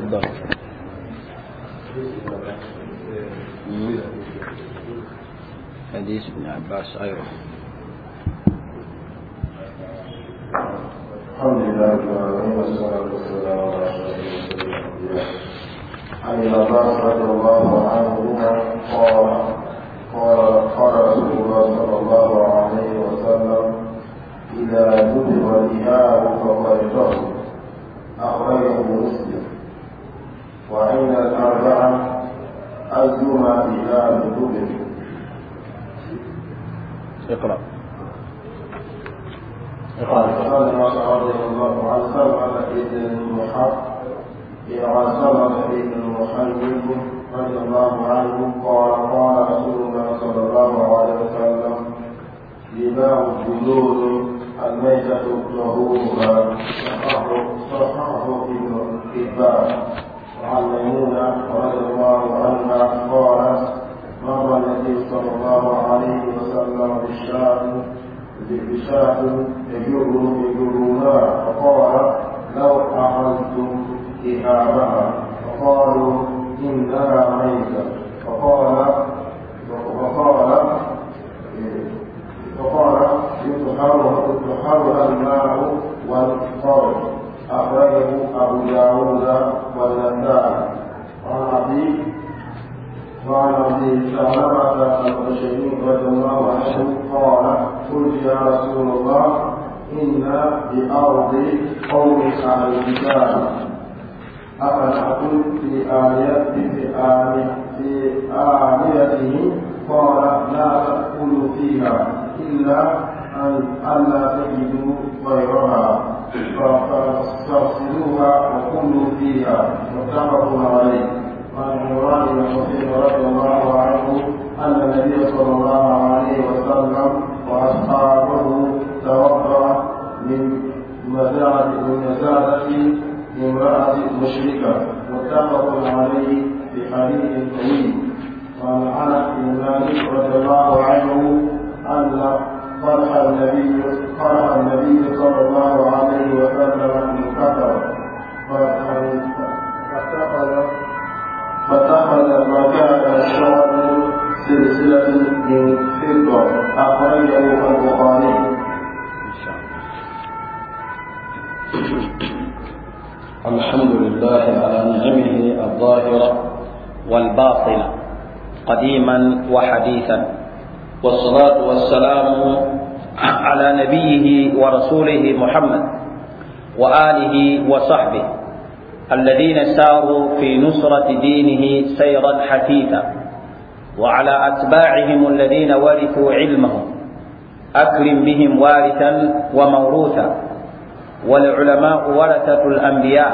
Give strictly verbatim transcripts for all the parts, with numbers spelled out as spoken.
تفضل. حديث ابن عباس. أيوه. الحمد لله رب العالمين، والصلاة والسلام على أشرف المرسلين. عن ابن عباس رضي الله عنهما قال قال قال رسول الله صلى الله عليه وسلم: إذا دبغ الإهاب فقد طهر. أخرجه مسلم. وعند الأربعة أيما إهاب دبغ. اقرأ. عن سلمة رضي الله عن سلمة بن المحب عن سلمة بن المحيب رضي الله عنه قال: قال رسول الله صلى الله عليه وسلم: دماء الجلود الميتة طهورها. صححه ابن حبان. وعن ميمونة رضي الله عنها قالت: مر النبي صلى الله عليه وسلم بالشاة بشاة يجرونها، فقال: لو أخذتم إهابها. فقالوا: إنها ميتة. فقال فقال فقال يطهرها الماء والقرض. أخرجه أبو داود والنسائي. وعن أبي وعن أبي ثعلبة الخشني رضي الله عنه قال: قلت يا رسول الله، إنا بأرض قوم أهل الكتاب، أفنأكل في آنيتهم؟ قال: لا تأكلوا فيها إلا أن ألا تجدوا غيرها، فاغسلوها وكلوا فيها. متفق عليه. وعن عمران بن حصين رضي الله عنه أن النبي صلى الله عليه وسلم وأصحابه توضأ من مزادة امرأة مشركة. متفق عليه في حديث طويل. وعن أنس بن مالك رضي الله عنه أن قرح النبي قرح النبي صلى الله عليه وسلم انكسر، فاتخذ فاتخذ مكان الشعر سلسلة من فضة. أخرجه البخاري. الحمد لله على نعمه الظاهرة والباطنة قديما وحديثا، والصلاة والسلام على نبيه ورسوله محمد وآله وصحبه الذين ساروا في نصرة دينه سيرا حثيثا، وعلى أتباعهم الذين ورثوا علمهم، أكرم بهم وارثا وموروثا، والعلماء ورثة الأنبياء،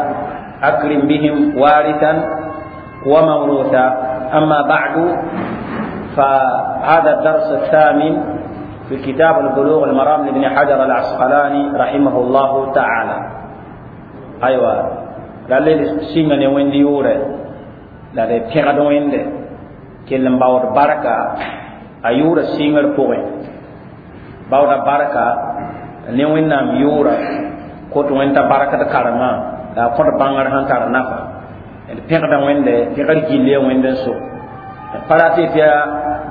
أكرم بهم وارثا وموروثا. أما بعد، فهذا الدرس الثامن في كتاب البلوغ المرام لابن حجر العسقلاني رحمه الله تعالى. أيوة، la le sĩnga ne wẽnd yʋʋrɛ la d pẽgd wẽnde kell n baood barka a yʋʋra sɩngr pʋgẽ, baooda barka ne wẽnnaam yʋʋra kot wẽnd t'a barkd karemã la a kõt bãngr sẽn tar nafa. D pẽgda wẽnde pẽgr gill ya wẽnd n so pa rat tɩ yaa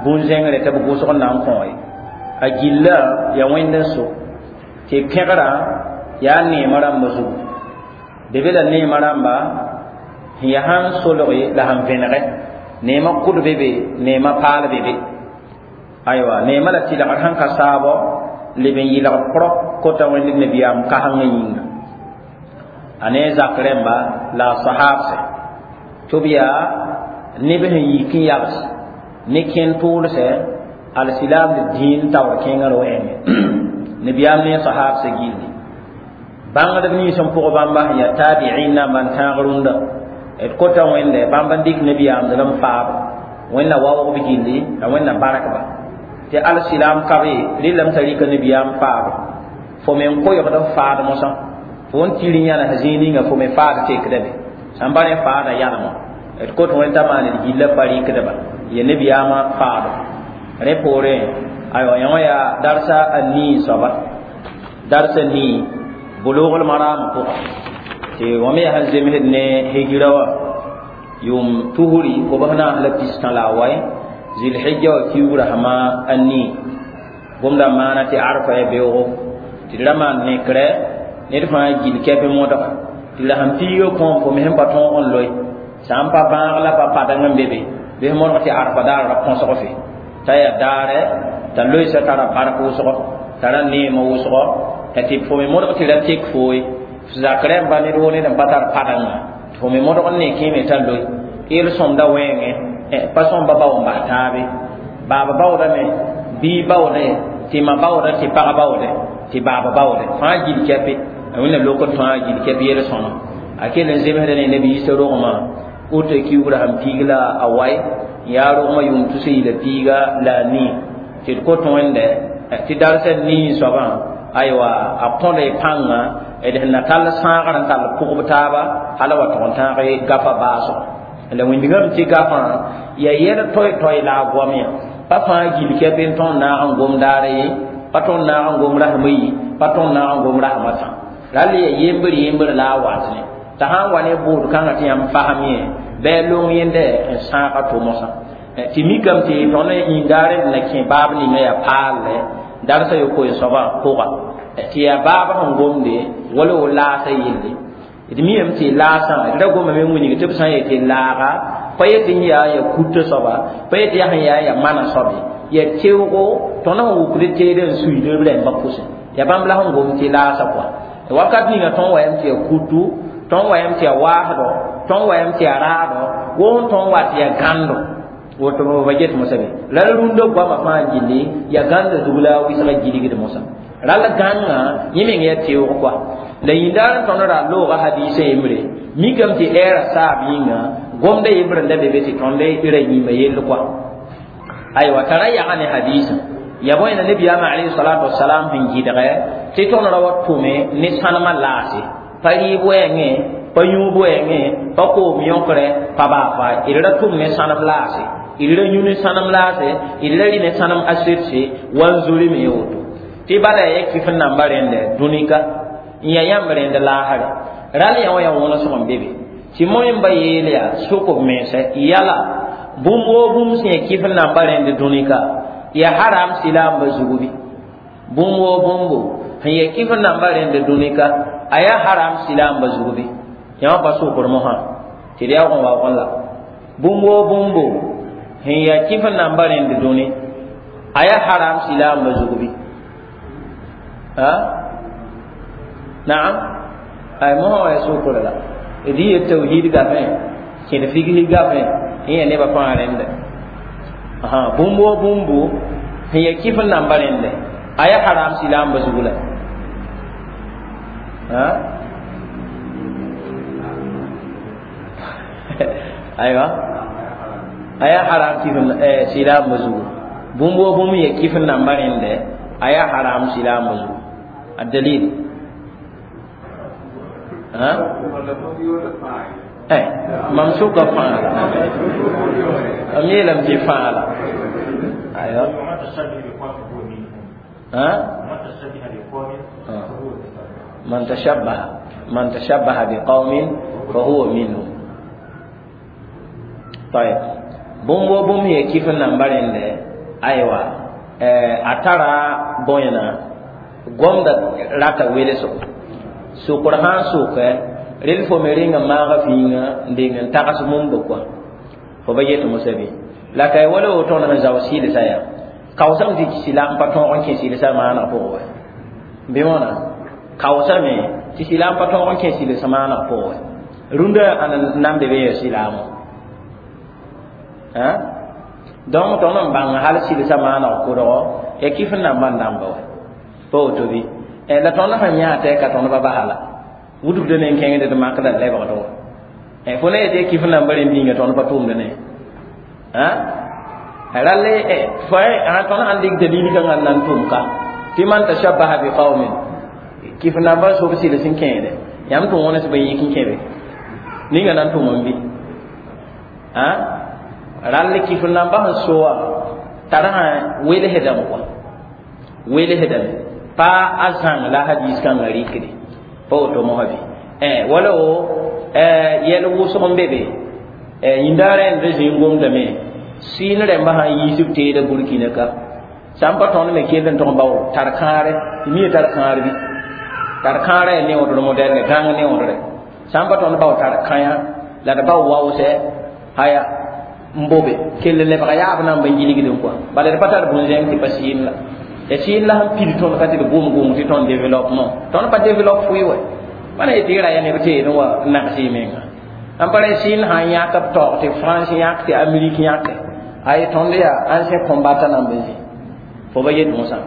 bũn-zẽngre tɩ b gʋsg n na n kõ ye, a gilla ya wẽnd n so tɩ pẽgrã yaa neemã rãmba zugu. Be la neemã rãmba sẽn yaa sãn solge la sẽn vẽnegɛ neemã kʋd be be, neemã paal be be. Aywa, neemã la tɩlgr sẽn ka saabɔ leb n yɩlg prop kota wẽnd nabiyaam kasengã yĩnga. A ne zak rẽmba la a sahaabsɛ tɩ b yaa neb sẽn yik n yags ne kẽn tʋʋlsɛ alsilaamd dĩin taoor kẽngr wɛɛngẽ nabiyaam ne a sahaabsɛ gilli. Bãngdb nins n pʋg bãmba sẽn yaa taabiin namba n tãag rũndã d kota wẽnde bãmb n dɩk nabiyaamd n faab wẽnna waoog b gilli la wẽnna barkba tɩ alsilaam ka be rɩlame t'a rɩka nabiyaam faab fo me n koɛɛgd f faad mosã fo n tɩ rĩ-yãnes zĩig ninga fo me faad tekda be sãn pa rẽ faada yalmã d kot wẽnd t'a maan d gilla pa rɩkdba ya nabiyaamã faado rẽ poorẽ. Aywa, yõ yaa darsa a nii soaba, darsa nii Bulughul Maram pʋga. Tɩ wã me yaa sẽn zemsd ne hijra wã yʋʋm tusri kobs naas la pistã la a wae zilhija wã kiugra sãma a nii gomda maana tɩ arfa ya beoogo tɩ d ra maan nekrɛ ned fãa gil kɛpɩ modga tɩ la sẽn piiga kõom fo me sẽn pa tõog n loe sã n pa bãag la pa padeng n be be bɩ modg tɩ arfa daar ra põsg fe t'a yaa daarɛ t'a loeesa tara bark wʋsgo tara neemã wʋsgo tɩ fo me modg tɩ ra tek fooye zakrɛ n pa ned wo ned n pa tar padengã tɩ fo me modg n ne kẽeme t'a loe yel sõmda wẽenge pa sõmba bao n bas taabe baaba baoodame bii baoode tɩ ma baoodã tɩ pag baoode tɩ baaba baoode fãa gil kɛpe a wẽnna lokd fãa gil kɛp yel sõma a kell n zemsda ne nabi Isa rogmã woto kiugrã sẽn piig la a wae yaa rogmã yʋʋm tus yila piiga la a nii tɩ d kot wẽnde tɩ darsã nii soabã aywa a kõda y pãnga d sẽn na tall sãagr n tall pʋgb taaba hala wa tʋg n tãag gafa baasgo la wĩndgame tɩ gafã ya yɛl toy-toy la a goam yã pa fãa gil kɛp n tõnd naag n gom daara ye pa tõnd naag n gom rasmã yi pa tõnd naag n gom rasmã tã rall ya yembr yembr la a wat ne t'a sãn wa ne bʋʋd kãngã tɩ yãmb fasem yẽ bɩ a long yẽnde n sãaga to mosã tɩ mikame tɩ tõnd yĩndaar d na kẽ baab ninga yaa paalle darsa yopoe soabã pʋga tɩ yaa baab sẽn gomde wala wo laasã yelle d miame tɩ laasã d ra gomame n wilg tɩ b sã n yetɩ laaga pa yetɩ n yaa ya kuta soaba pa yetɩ yaa sẽn yaa ya mana soabe ya teoogo tõnd sẽn wʋkd teed n suiid b rẽmbã pʋsẽ ya bãmb la sẽn gom tɩ laasã kɔa wakat ninga tõnd wayame tɩ ya kutu tõnd wayame tɩ ya waasdɔ tõnd wayame tɩ ya raadɔ wʋsẽ tõnd wa tɩ ya gãndo woto ba get mosa be la rũndã goamã fãa gilli ya gãnda zug la wɩsga gilgd mosã rall gãngã yẽ meng ya teoog kɔa la yĩndaar n tõnd ra looga hadiisã yembre mikame tɩ ɛɛra saab yĩnga gomda yembre n da be be tɩ tõnd ra yĩima yell kɔa aywa t'a ra yaga ne hadiisã ya bõe na nabiyaamã alayhi salatu wasalam sẽn gɩdgɛ tɩ tõnd ra wa tʋme ne sãnemã laase pa rɩɩb wɛɛngẽ pa yũub wɛɛngẽ pa koom yõkrɛ pa baa fa d ra tʋm ne sãnem laase d ra yũ ne sãnem laase d ra rɩ ne sãnem aserse wa n zuri me woto tɩ bala ya kɩf n namba rẽndɛ dũnika n ya yãmb rẽnd laasre ral yã wã ya wõnesg n be be tɩ moẽmba yeel yaa sʋk b mensɛ yala bũmb woo bũmb sẽn ya kɩf n namba rẽnd dũnika ya haram silaamba zugu bɩ bũmb woo bũmbo sẽn ya kɩf n namba rẽnd dũnika a yaa haram silaamba zugu bɩ yã wã pa sʋkr mosã tɩ d yaoog n waoogẽ la bũmb woo bũmbo sẽn ya kɩf n namba rẽnd dũni a yaa haram silaamba zugu bɩ ha naam ay mosã wa ya sʋkr la d yɩ tawhid gafẽ kẽd figsg gafẽ n ya nebã fãa rẽnda bũmb woo bũmbo sẽn ya kɩf n namba rẽnde a yaa haram silaamba zugu la aywa a yaa haram kɩf silaamba zugu bũmb woo bũmb ya kɩf n namba rẽnde a yaa haram silaamba zugu الدليل ها eh mam sʋka fãa la mam yeelame tɩ fãa la aywa ha man tashabbaha man tashabbaha biqaumin fahuwa minhum طيب bũmb wo bũmb ya kɩf n namba rẽnde aywa a tara bõena gomda rata welesgo sʋkr sã n sʋkɛ rel fo me rẽnga maaga fĩinga n deng n tags mumba kɔa fo ba yet mosã bɩ la ka wala woto tõnd sẽn zao sɩlsã yaa kaoosame tɩ silaam pa tõog n kẽ sɩlsã maaneg pʋgẽ wa bɩ wãna kaoosame tɩ silaam pa tõog n kẽ sɩlsã maaneg pʋgẽ wa rũndã ãn nan be be ya silaamõ donc tõnd n bãng hal sɩlsã maaneg kʋdgo ya kɩf n namba n dãmba wa pa woto bɩ la tõnd sẽn yãa tɩ ka tõnd ba basa la wudgda ne n kẽngd d makda lebgd wa fo na yetɩ kɩf n namba rẽnd yĩnga tõnd pa tʋʋmd ne ralle fo tõnd sãn dɩk dalil kãngã n na n tʋm ka tɩ man tashabbaha bi qaumin kɩf namba sob sɩls n kẽede yãmb tɩ wõnes bõe yik n kẽ be ninga na n tʋm n bɩ rall kɩf namba sẽn soa tara sã welsdame kɔa welsdame pa a zãng la hadis kãngã rɩkde pa woto mosã bɩ eh wala o eh yɛl wʋsg n be be yĩnda rẽnd zĩ n gomdame sɩɩn rẽmba sã n yiis b teeda Burkina ka sã n pa tõnd me kell n tʋg n bao tar kãare tɩ mi tar kãar bɩ tar kãara yaa neoodr modɛlne gãng neoodre sã n pa tõnd bao tar kãyã la d bao waoosɛ aya n bobe kell lebga yaab nan ban gilgdẽ kɔa bala d pa tar bũn-zẽng tɩ pa sɩɩn la ya sɩɩn la sẽn pid tõnd ka tɩ d gʋm gʋm tɩ tõnd développement tõnd pa développe fʋɩ wɛ pa na yetɩ y ra ya neb teedẽ wa n nags y menga n pa ra sɩɩn sã n yãk b taoog tɩ France yãk tɩ Amérique yãke ay tõnd yaa ancien combattant nan be zĩ fo ba yet mosã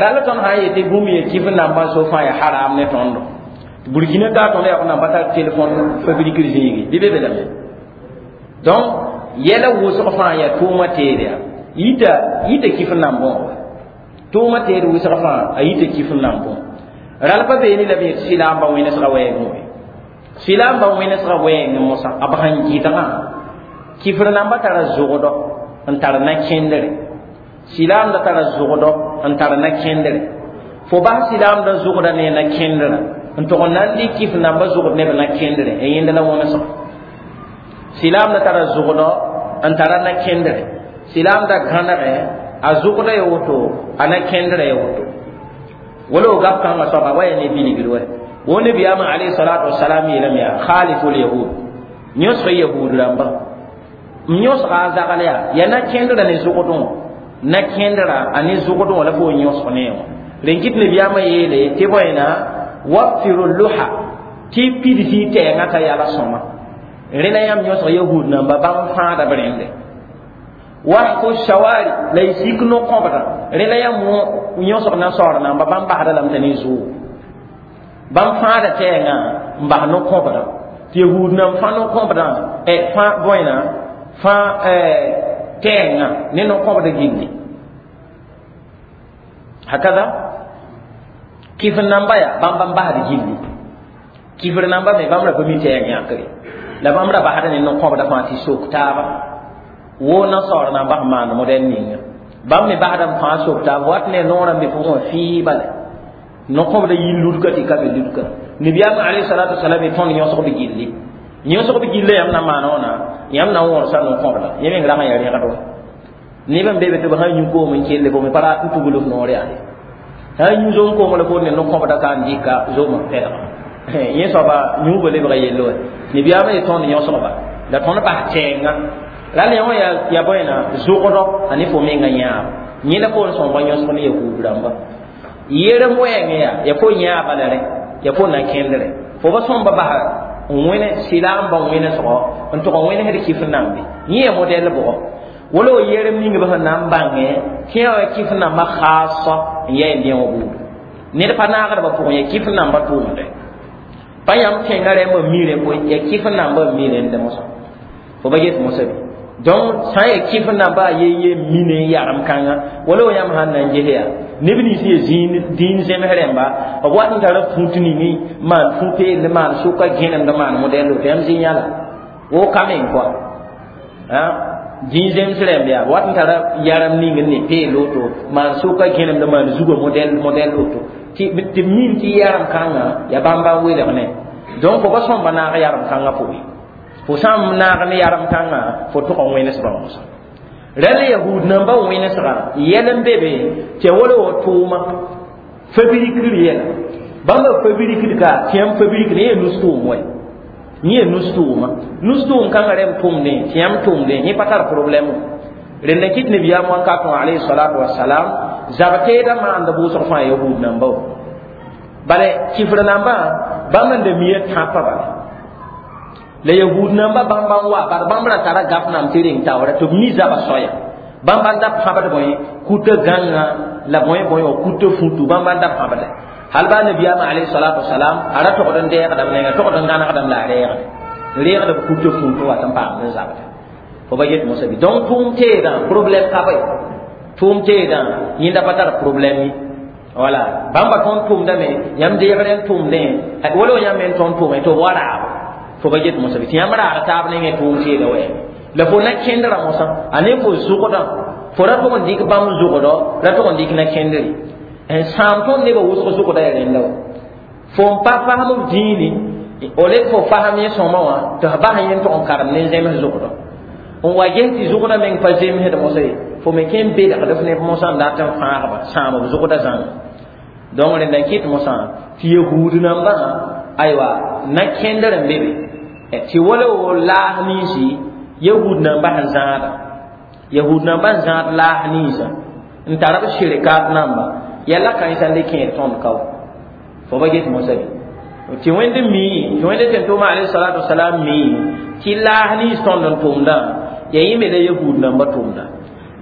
rala tõnd sã n yetɩ bũmb ye kɩf nambã so fãa ya haram ne tõndo Burkina ka tõnd yaa namba tar téléphone fabrique zĩigi bɩ be be lame donc yɛla wʋsg fãa yaa tʋʋmã teed yaa yita yita kɩf n nan bõo tʋʋmã teed wʋsg fãa a yita kɩf n nan bõo ral pa beene la b yet sɩlaamba wẽnesgã wɛɛngẽ we sɩlaamba wẽnesgã wɛɛngẽ mosã b sẽn gɩdgã kɩfr namba tara zʋgdɔ n tar na-kẽndre sɩlaamda tara zʋgdɔ n tar na-kẽndre fo bas sɩlaamda zʋgda ne na-kẽndrã n tʋg n na n dɩk kɩf namba zʋgd neb na-kẽndre n yẽnd la wõnesg sɩlaamda tara zʋgdɔ n tara na-kẽndre sɩlaamda gãnegɛ a zʋgda ya woto a na-kẽndrã ya woto wala o gap kãngã soaba wa ya ne bilgr wɛ wo nabiyaamã alayhi salatu wasalam yeelame yaa khalifu lyahud yõsg yahud rãmba n yõsga a zagl yaa yaa na-kẽndrã ne zʋgdẽ na-kẽndrã a ne zʋgdẽ wã la fo yõsg ne wã rẽn kɩt nabiyaamã yeele tɩ bõena wafiru luha tɩ pids y tɛɛngã t'a yala sõma rẽna yãmb yõsg yahud namba bãmb fãada b rẽnde wahfu shawari la y sik no-kõbdã rẽna yãmb yõsg nasaar namba bãmb basda lame t'a ne zʋʋg bãmb fãada tɛɛngã n bas no-kõbdã tɩ yahud nan fã no-kõbdã fã bõena fã tɛɛngã ne no-kõbda gilli hakada kɩf namba yaa bãmb bãmb basd gilli kɩfr namba me bãmb ra pa mi tɛɛng yãkre la bãmb ra basda ne no-kõbda fãa tɩ sok taaba wo nasaar namba sẽn maand modɛl ninga bãmb me basda n fãa sok taaba wat ne noorã n be pʋgẽ wã fɩɩ bala no-kõbda yi ludka tɩ ka be ludka nabiyaam alayhi salatu wasalam y tõnd yõsg b gilli yõsg b gilla yãmb na n maan wãna yãmb na n wõrsa no-kõbda yẽ meng rag n yaa rẽgd wa neb n be be tɩ b sã n yũ koom n kelle fo me pa rat n tugl f noor yaa sã n yũ zom koom la fo ne no-kõbda ka n dɩka zomã pɛlga yẽ soaba yũubã lebga yell wa nabiyaamã ye tõnd yõsgba la tõnd bas tɛɛngã rall yã wã yaa bõena zʋgdɔ a ne fo mengã yãab yẽ la fo n sõmba yõsg ne yahuud rãmba yerem wɛɛngẽ yaa ya fo yãaba la rẽ ya fo na-kẽndrẽ fo ba sõmba basa n wẽne sɩlaambã wẽnesgɔ n tʋg n wẽnesd kɩf nambe yẽ ya modɛl bʋgɔ wala o yerem ning b sẽn na n bãngẽ tɩ yã wa kɩf nambã khaasa n yaa y dẽog buudu ned pa naagdbã pʋgẽ ya kɩf nambã tʋʋmdɛ pa yãmb kẽngã rẽmbã mi rẽ koe ya kɩf nambã n mi rẽndẽ mosã fo ba get mosã bɩ donc sã n ya kɩf nambã a ye ye mine n yagem kãnga wala o yãmb sãn na n ges yaa neb nins ya dĩin zems rẽmba b wat n tara fũut ning maan fũ-peel ne maan sʋka gẽnemd maan modɛl woto yãmb zĩ yãla wo ka meng kɔa dĩin zems rẽmb yaa wat n tara yaram ning n ne peel woto maan sʋka gẽnemd maan zugã modɛl modɛl woto tɩ b min tɩ yaram kãngã yaa bãmba n welg ne donc fo ba sõmba naag yaram kãngã pʋgẽ fo sã n naag ne yaram kãngã fo tʋg n wẽnesbã mosã rãll yahud namba wẽnesgã yɛl n be be tɩ wala wa tʋʋma fabrikr yɛla bãmba fabrikd ka tɩ yãmb fabrikd yẽ nus tʋʋm wɛ yẽ nus tʋʋma nus tʋʋm kãngã rẽmb tʋmdẽ tɩ yãmb tʋmdẽ yẽ pa tar problɛm rẽnd n kɩt nabiyaam wãnkat wã alayhi salatu wasalam zab teedã maanda bʋʋsg fãa yahud namba wa bala kifr nambã bãmb n da mia tãpã bala la yahud namba bãmb n wa bad bãmb ra tara gaf nam tɩ reng taoora tɩ b mi zaba soaya bãmb n da pãbd bõe kuta gãnga la bõe bõe wa kuta futu bãmb n da pãbda hal baa nabiyaamã alayhi salatu wasalam a ra togd n deegdame nenga togd n gãnegdame la a reegde reegd b kuta futu wat n paamd n zabda fo ba get mosã bɩ donc tʋʋm teedã problème ka bõe tʋʋm teedã yẽnda pa tar problème ye wala bãmba tõnd tʋʋmdame yãmb deegr n tʋʋmdẽ wala yãmb me n tõnd tʋʋme tɩ b wa raabo fo ba get mosã bɩ tɩ yãmb raag taab nengẽ tʋʋm teeda wɛɛme la fo na-kẽndrã mosã a ne fo zʋgdã fo ra tʋg n dɩk bãmb zʋgdɔ ra tʋg n dɩk na-kẽndre n sãam tõnd nebã wʋsg zʋgda ya rẽnda wa fo n pa fasem b dĩini O le fo faham yẽ sõma wã tɩ f bas yẽ n tog n karem ne zems zʋgdɔ n wa ges tɩ zʋgdã meng pa zemsd mosã ye fo me kẽ n belgd f neb mosã n dat n fãagba sãam b zʋgdã zãnga donc rẽnda n kɩt mosã tɩ yahuud nambã aywa na kẽndr n be be tɩ wala wo laas ninsi yahud nambã sẽn zãada yahud nambã n zãad laas ninsã n tar b shirkat namba yɛla kãensã n le kẽer tõnd kao fo ba get mosã bɩ tɩ wẽnd mi tɩ wẽnd tẽn-tʋʋma alayhi salatu wasalam mi tɩ laas nins tõnd n tʋmdã ya yẽ me la yahud nambã tʋmda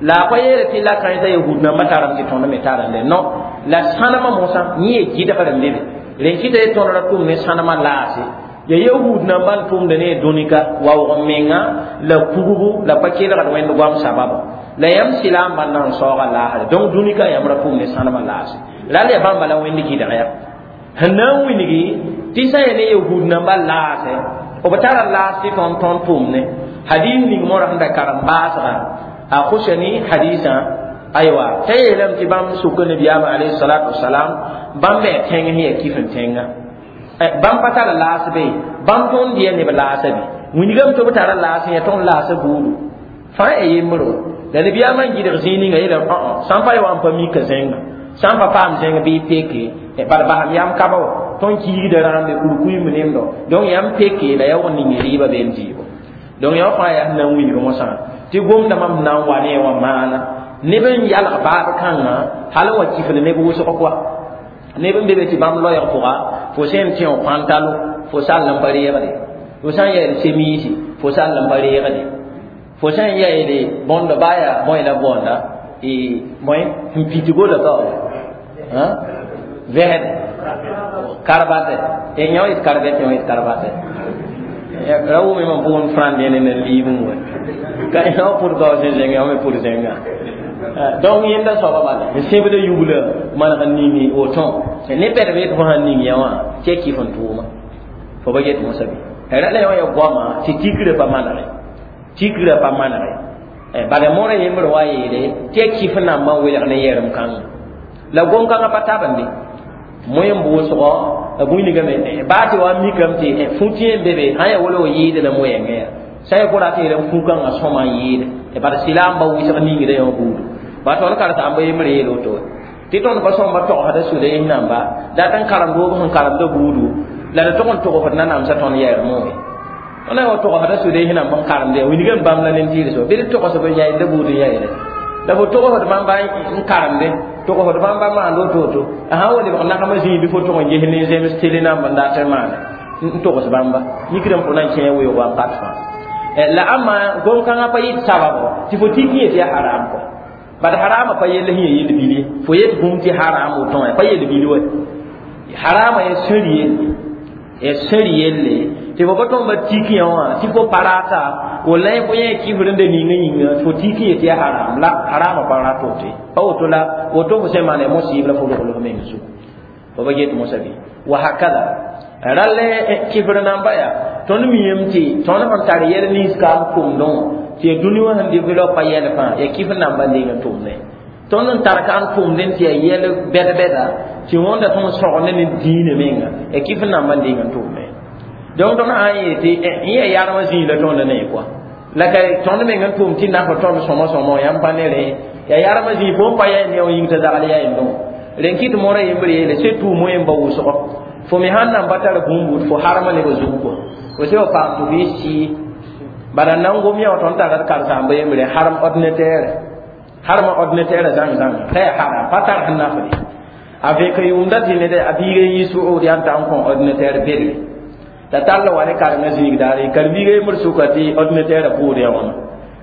la a pa yeele tɩ la kãensã yahud nambã tarame tɩ tõnd me tarame non la sãnemã mosã yẽ ye gɩdgr n be be rẽn kɩta ye tõnd ra tʋm ne sãnemã laase ya yahud nambã n tʋmda ne dũnika waoog n menga la pugbu la pa kelgd wẽnd goam sababa la yãmb sɩlaambã n na n saooga laasre donc dũnika yãmb ra tʋm ne sãnemã laase la ya bãmba la wẽnd gɩdg ya sẽn na n wilgi tɩ sã ya ne yahud nambã laase b tara laas tɩ tõnd tõnd tʋmne hadis ning moora sẽn da karem baasga a Khushani hadisã aywa t'a yeelame tɩ bãmb sʋka nabiyaamã alayhi salatu wasalam bãmb me tẽng sẽn yaa kif n tẽnga bãmb pa tara laas be bãmb tõnd dɩya neb laasa be wilgame tɩ b tara laas n yaa tõnd laasa buudu fãa ya yembr la nabiyaamã n gɩdg zĩig ninga yeelame sã n pa ya wa n pa mika zẽnga sã n pa paam zẽng bɩ peke bala basam yam kaba wa tõnd kiigda rãmbe kurkuim nemdo donc yãmb peke la ya wa ning rɩɩbã been zɩɩbo donc yã fãa yaa sẽn na n wilg mosã tɩ gomda mam na n wa ne wã maana neb n yalg baab kãngã hal n wa kifl neb wʋsg koa neb n be be tɩ bãmb loɛɛg pʋga fo sẽn tẽ f pãntalo fo sall n pa reegde fo sã n yaeed semiisi fo sall n pa reegde fo sã n yaeed bõndo baa yaa bõe la boonda bõe n pitgo la kao vɛsde karbate yã yet karbɛt yã yet karbate ra wʋme mam pʋgẽ frãnd ne ne liib n wa ka yã pʋd kao sẽn zẽng yã me pʋd zẽnga donc yẽnda soaba bala n sẽbda yugla maneg n ning woto ne bɛd be tɩ fo sãn ning yã wã tɩ ya kɩf n tʋʋma fo ba get mosã bɩ ra la yã ya goama tɩ tikrã pa manege tikrã pa manege bala moorã yembr wa yeele tɩ ya kɩf nambã n welg ne yɛrem kãnga la gom-kãngã pa tabende moẽ n bʋʋsgɔ bũnigame baa tɩ wa mikame tɩ fũ-tẽ n be be sã n yaa wala wa yɩɩd la moɛɛngã yaa sã n ya kora tɩ yeelame fũ-kãngã sõma n yɩɩde bala sɩlaamba wɩsg ningdã yã buudu ba tõnd karem-sãamba yembr yeel woto tɩ tõnd pa sõmba togsda suda yẽ namba dat n karem doob sẽn karemda buudu la d tog n togsd nanamsã tõnd yɛɛr moe tõnd wa togsda suda yẽ namba n karemda ya wilgame bãmb la nen-tɩɩd soa bɩ d togsb n yaeenda buud n yaeere la fo togsd bãmba n karemde togsd bãmba maand woto-woto a sã n wa lebg nagemã zĩig bɩ fo tog n ges ne zems tele namba n dat n maana n togs bãmba mikdame fo na n kẽ weoog wakat fãa la ãmba gom-kãngã pa yɩt sababo tɩ fo tik yẽ tɩ yaa haram kɔ bad harama pa yell sẽn ya yel bil ye fo yet bũmb tɩ haram woto wã pa yel bil wa harama ya sẽr yelle ya sẽr yelle tɩ fo pa tõnd ba tik yã wã tɩ fo pa rata walla fo yẽ kifr n da ninga yĩnga tɩ fo tik yẽ tɩ ya haram la harama pa rat woto ye pa woto la woto fo sẽn maana mosɩɩb la fo rogl f meng zugu fo ba get mosã bɩ wa hakada rall kifr namba yaa tõnd miyame tɩ tõnd sẽn tar yɛl nins kaam tʋmdẽ wã tɩ ya dũni wã sẽn develop pa yɛl fãa ya kifr namba n deng n tʋmdẽ tõnd n tar ka n tʋmdẽ tɩ ya yɛl bɛd-bɛda tɩ wõnda tõnd sõgende ne diinã menga ya kifr namba n deng n tʋmdẽ donc tõnd sã n yeel tɩ yẽ ya yarmã zĩig la tõnd ne kɔa la ka tõnd meng n tʋm tɩ naf tõnd sõma sõma yãmb pa ne rẽ ya yarmã zĩig fo n pa yaa ne wã yĩng t'a zagl yaa yẽndẽ wã rẽn kɩt moorã yembr yeele surtout moẽ n ba wʋsgɔ fo me sãn nan pa tar bũmb fo harma nebã zug kɔa fo sẽn wa paam tɩ f yɩ sɩɩ bala nan gom yã wã tõnd tara d karen-saamba yembre harm ordinateur harma ordinateur zãng zãnga t'a yaa haram pa tar sẽn nafde a vẽk n yʋʋmda tɩ ned a biiga n yi suud yaa n ta n kõ ordinateur bedre la tall wa ne karengã zĩig daare karen-biiga yembr sʋka tɩ ordinateur bʋʋd yã wãna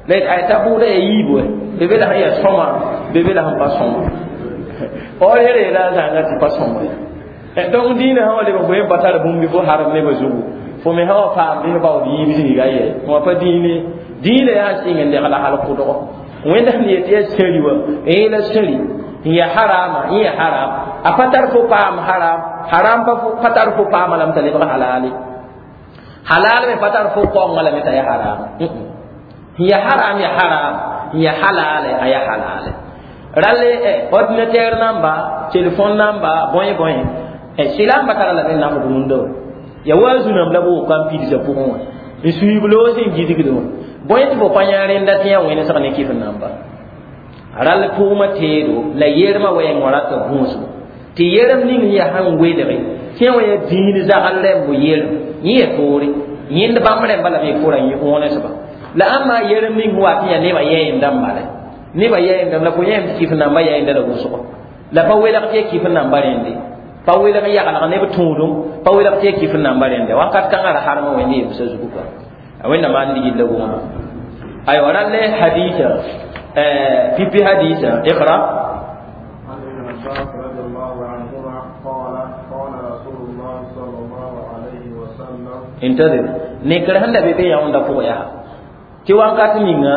la ay t'a bʋʋda yaa yiibu be be la sẽn yaa sõma be be la sẽn pa sõma or yere la zãnga tɩ pa sõma donc dĩinã sã wa lebg fo yẽ pa tar bũmb fo harem nebã zugu fo me sã wa paam bɩ baood yiib zĩiga ye wã pa dĩine dĩinã yaa sɩng n legla hal kʋdgo wẽnd sẽn yet yaa sẽri wã yẽ la sẽri n ya harama n ya haram a pa tar fo paam haram haram pa tar fo paama lame t'a lebg halale halal me pa tar fo kaonga lame t'a ya haram n ya haram ya haram n ya halale a ya halale rale ordinateur namba téléphone namba bõe bõe silamba tara lame n nafd rũndã wa Ya wa zũnãmb la b woka n pidsã pʋgẽ wã n suiib loog sẽn gidgd wã bõe tɩ fo pa yã rẽnda tɩ yã wẽnesg ne kɩf namba rall tʋʋmã teedo la yermã wɛɛng wã rata gũusgo tɩ yerem ning yaa sãn welge tɩ wã yaa dĩin zagl rẽmbo yerem yẽ ya toore yẽnd bãmb rẽmba la me fo ra wõnesba la ãmba yerem ning wa tɩ yaa nebã yɛɛndã n bala nebã yɛɛndame la fo yẽem tɩ kɩf namba yɛɛnda la wʋsgo la pa welg tɩ ya kɩf namba rẽnde pa welg yaglg neb tũudum pa welg tɩ ya kɩf namba rẽnde wakat kãngã ra harmã wẽnd yemsã zugu kɔa a wẽnnaam maan ligil la wʋngma aywa rall hadisa pipi hadisa iqra. عن ابن عباس رضي الله عنهما قال قال رسول الله صلى الله عليه وسلم انتظر nekr sẽn da be be yãonda pʋgã yaa tɩ wakat ninga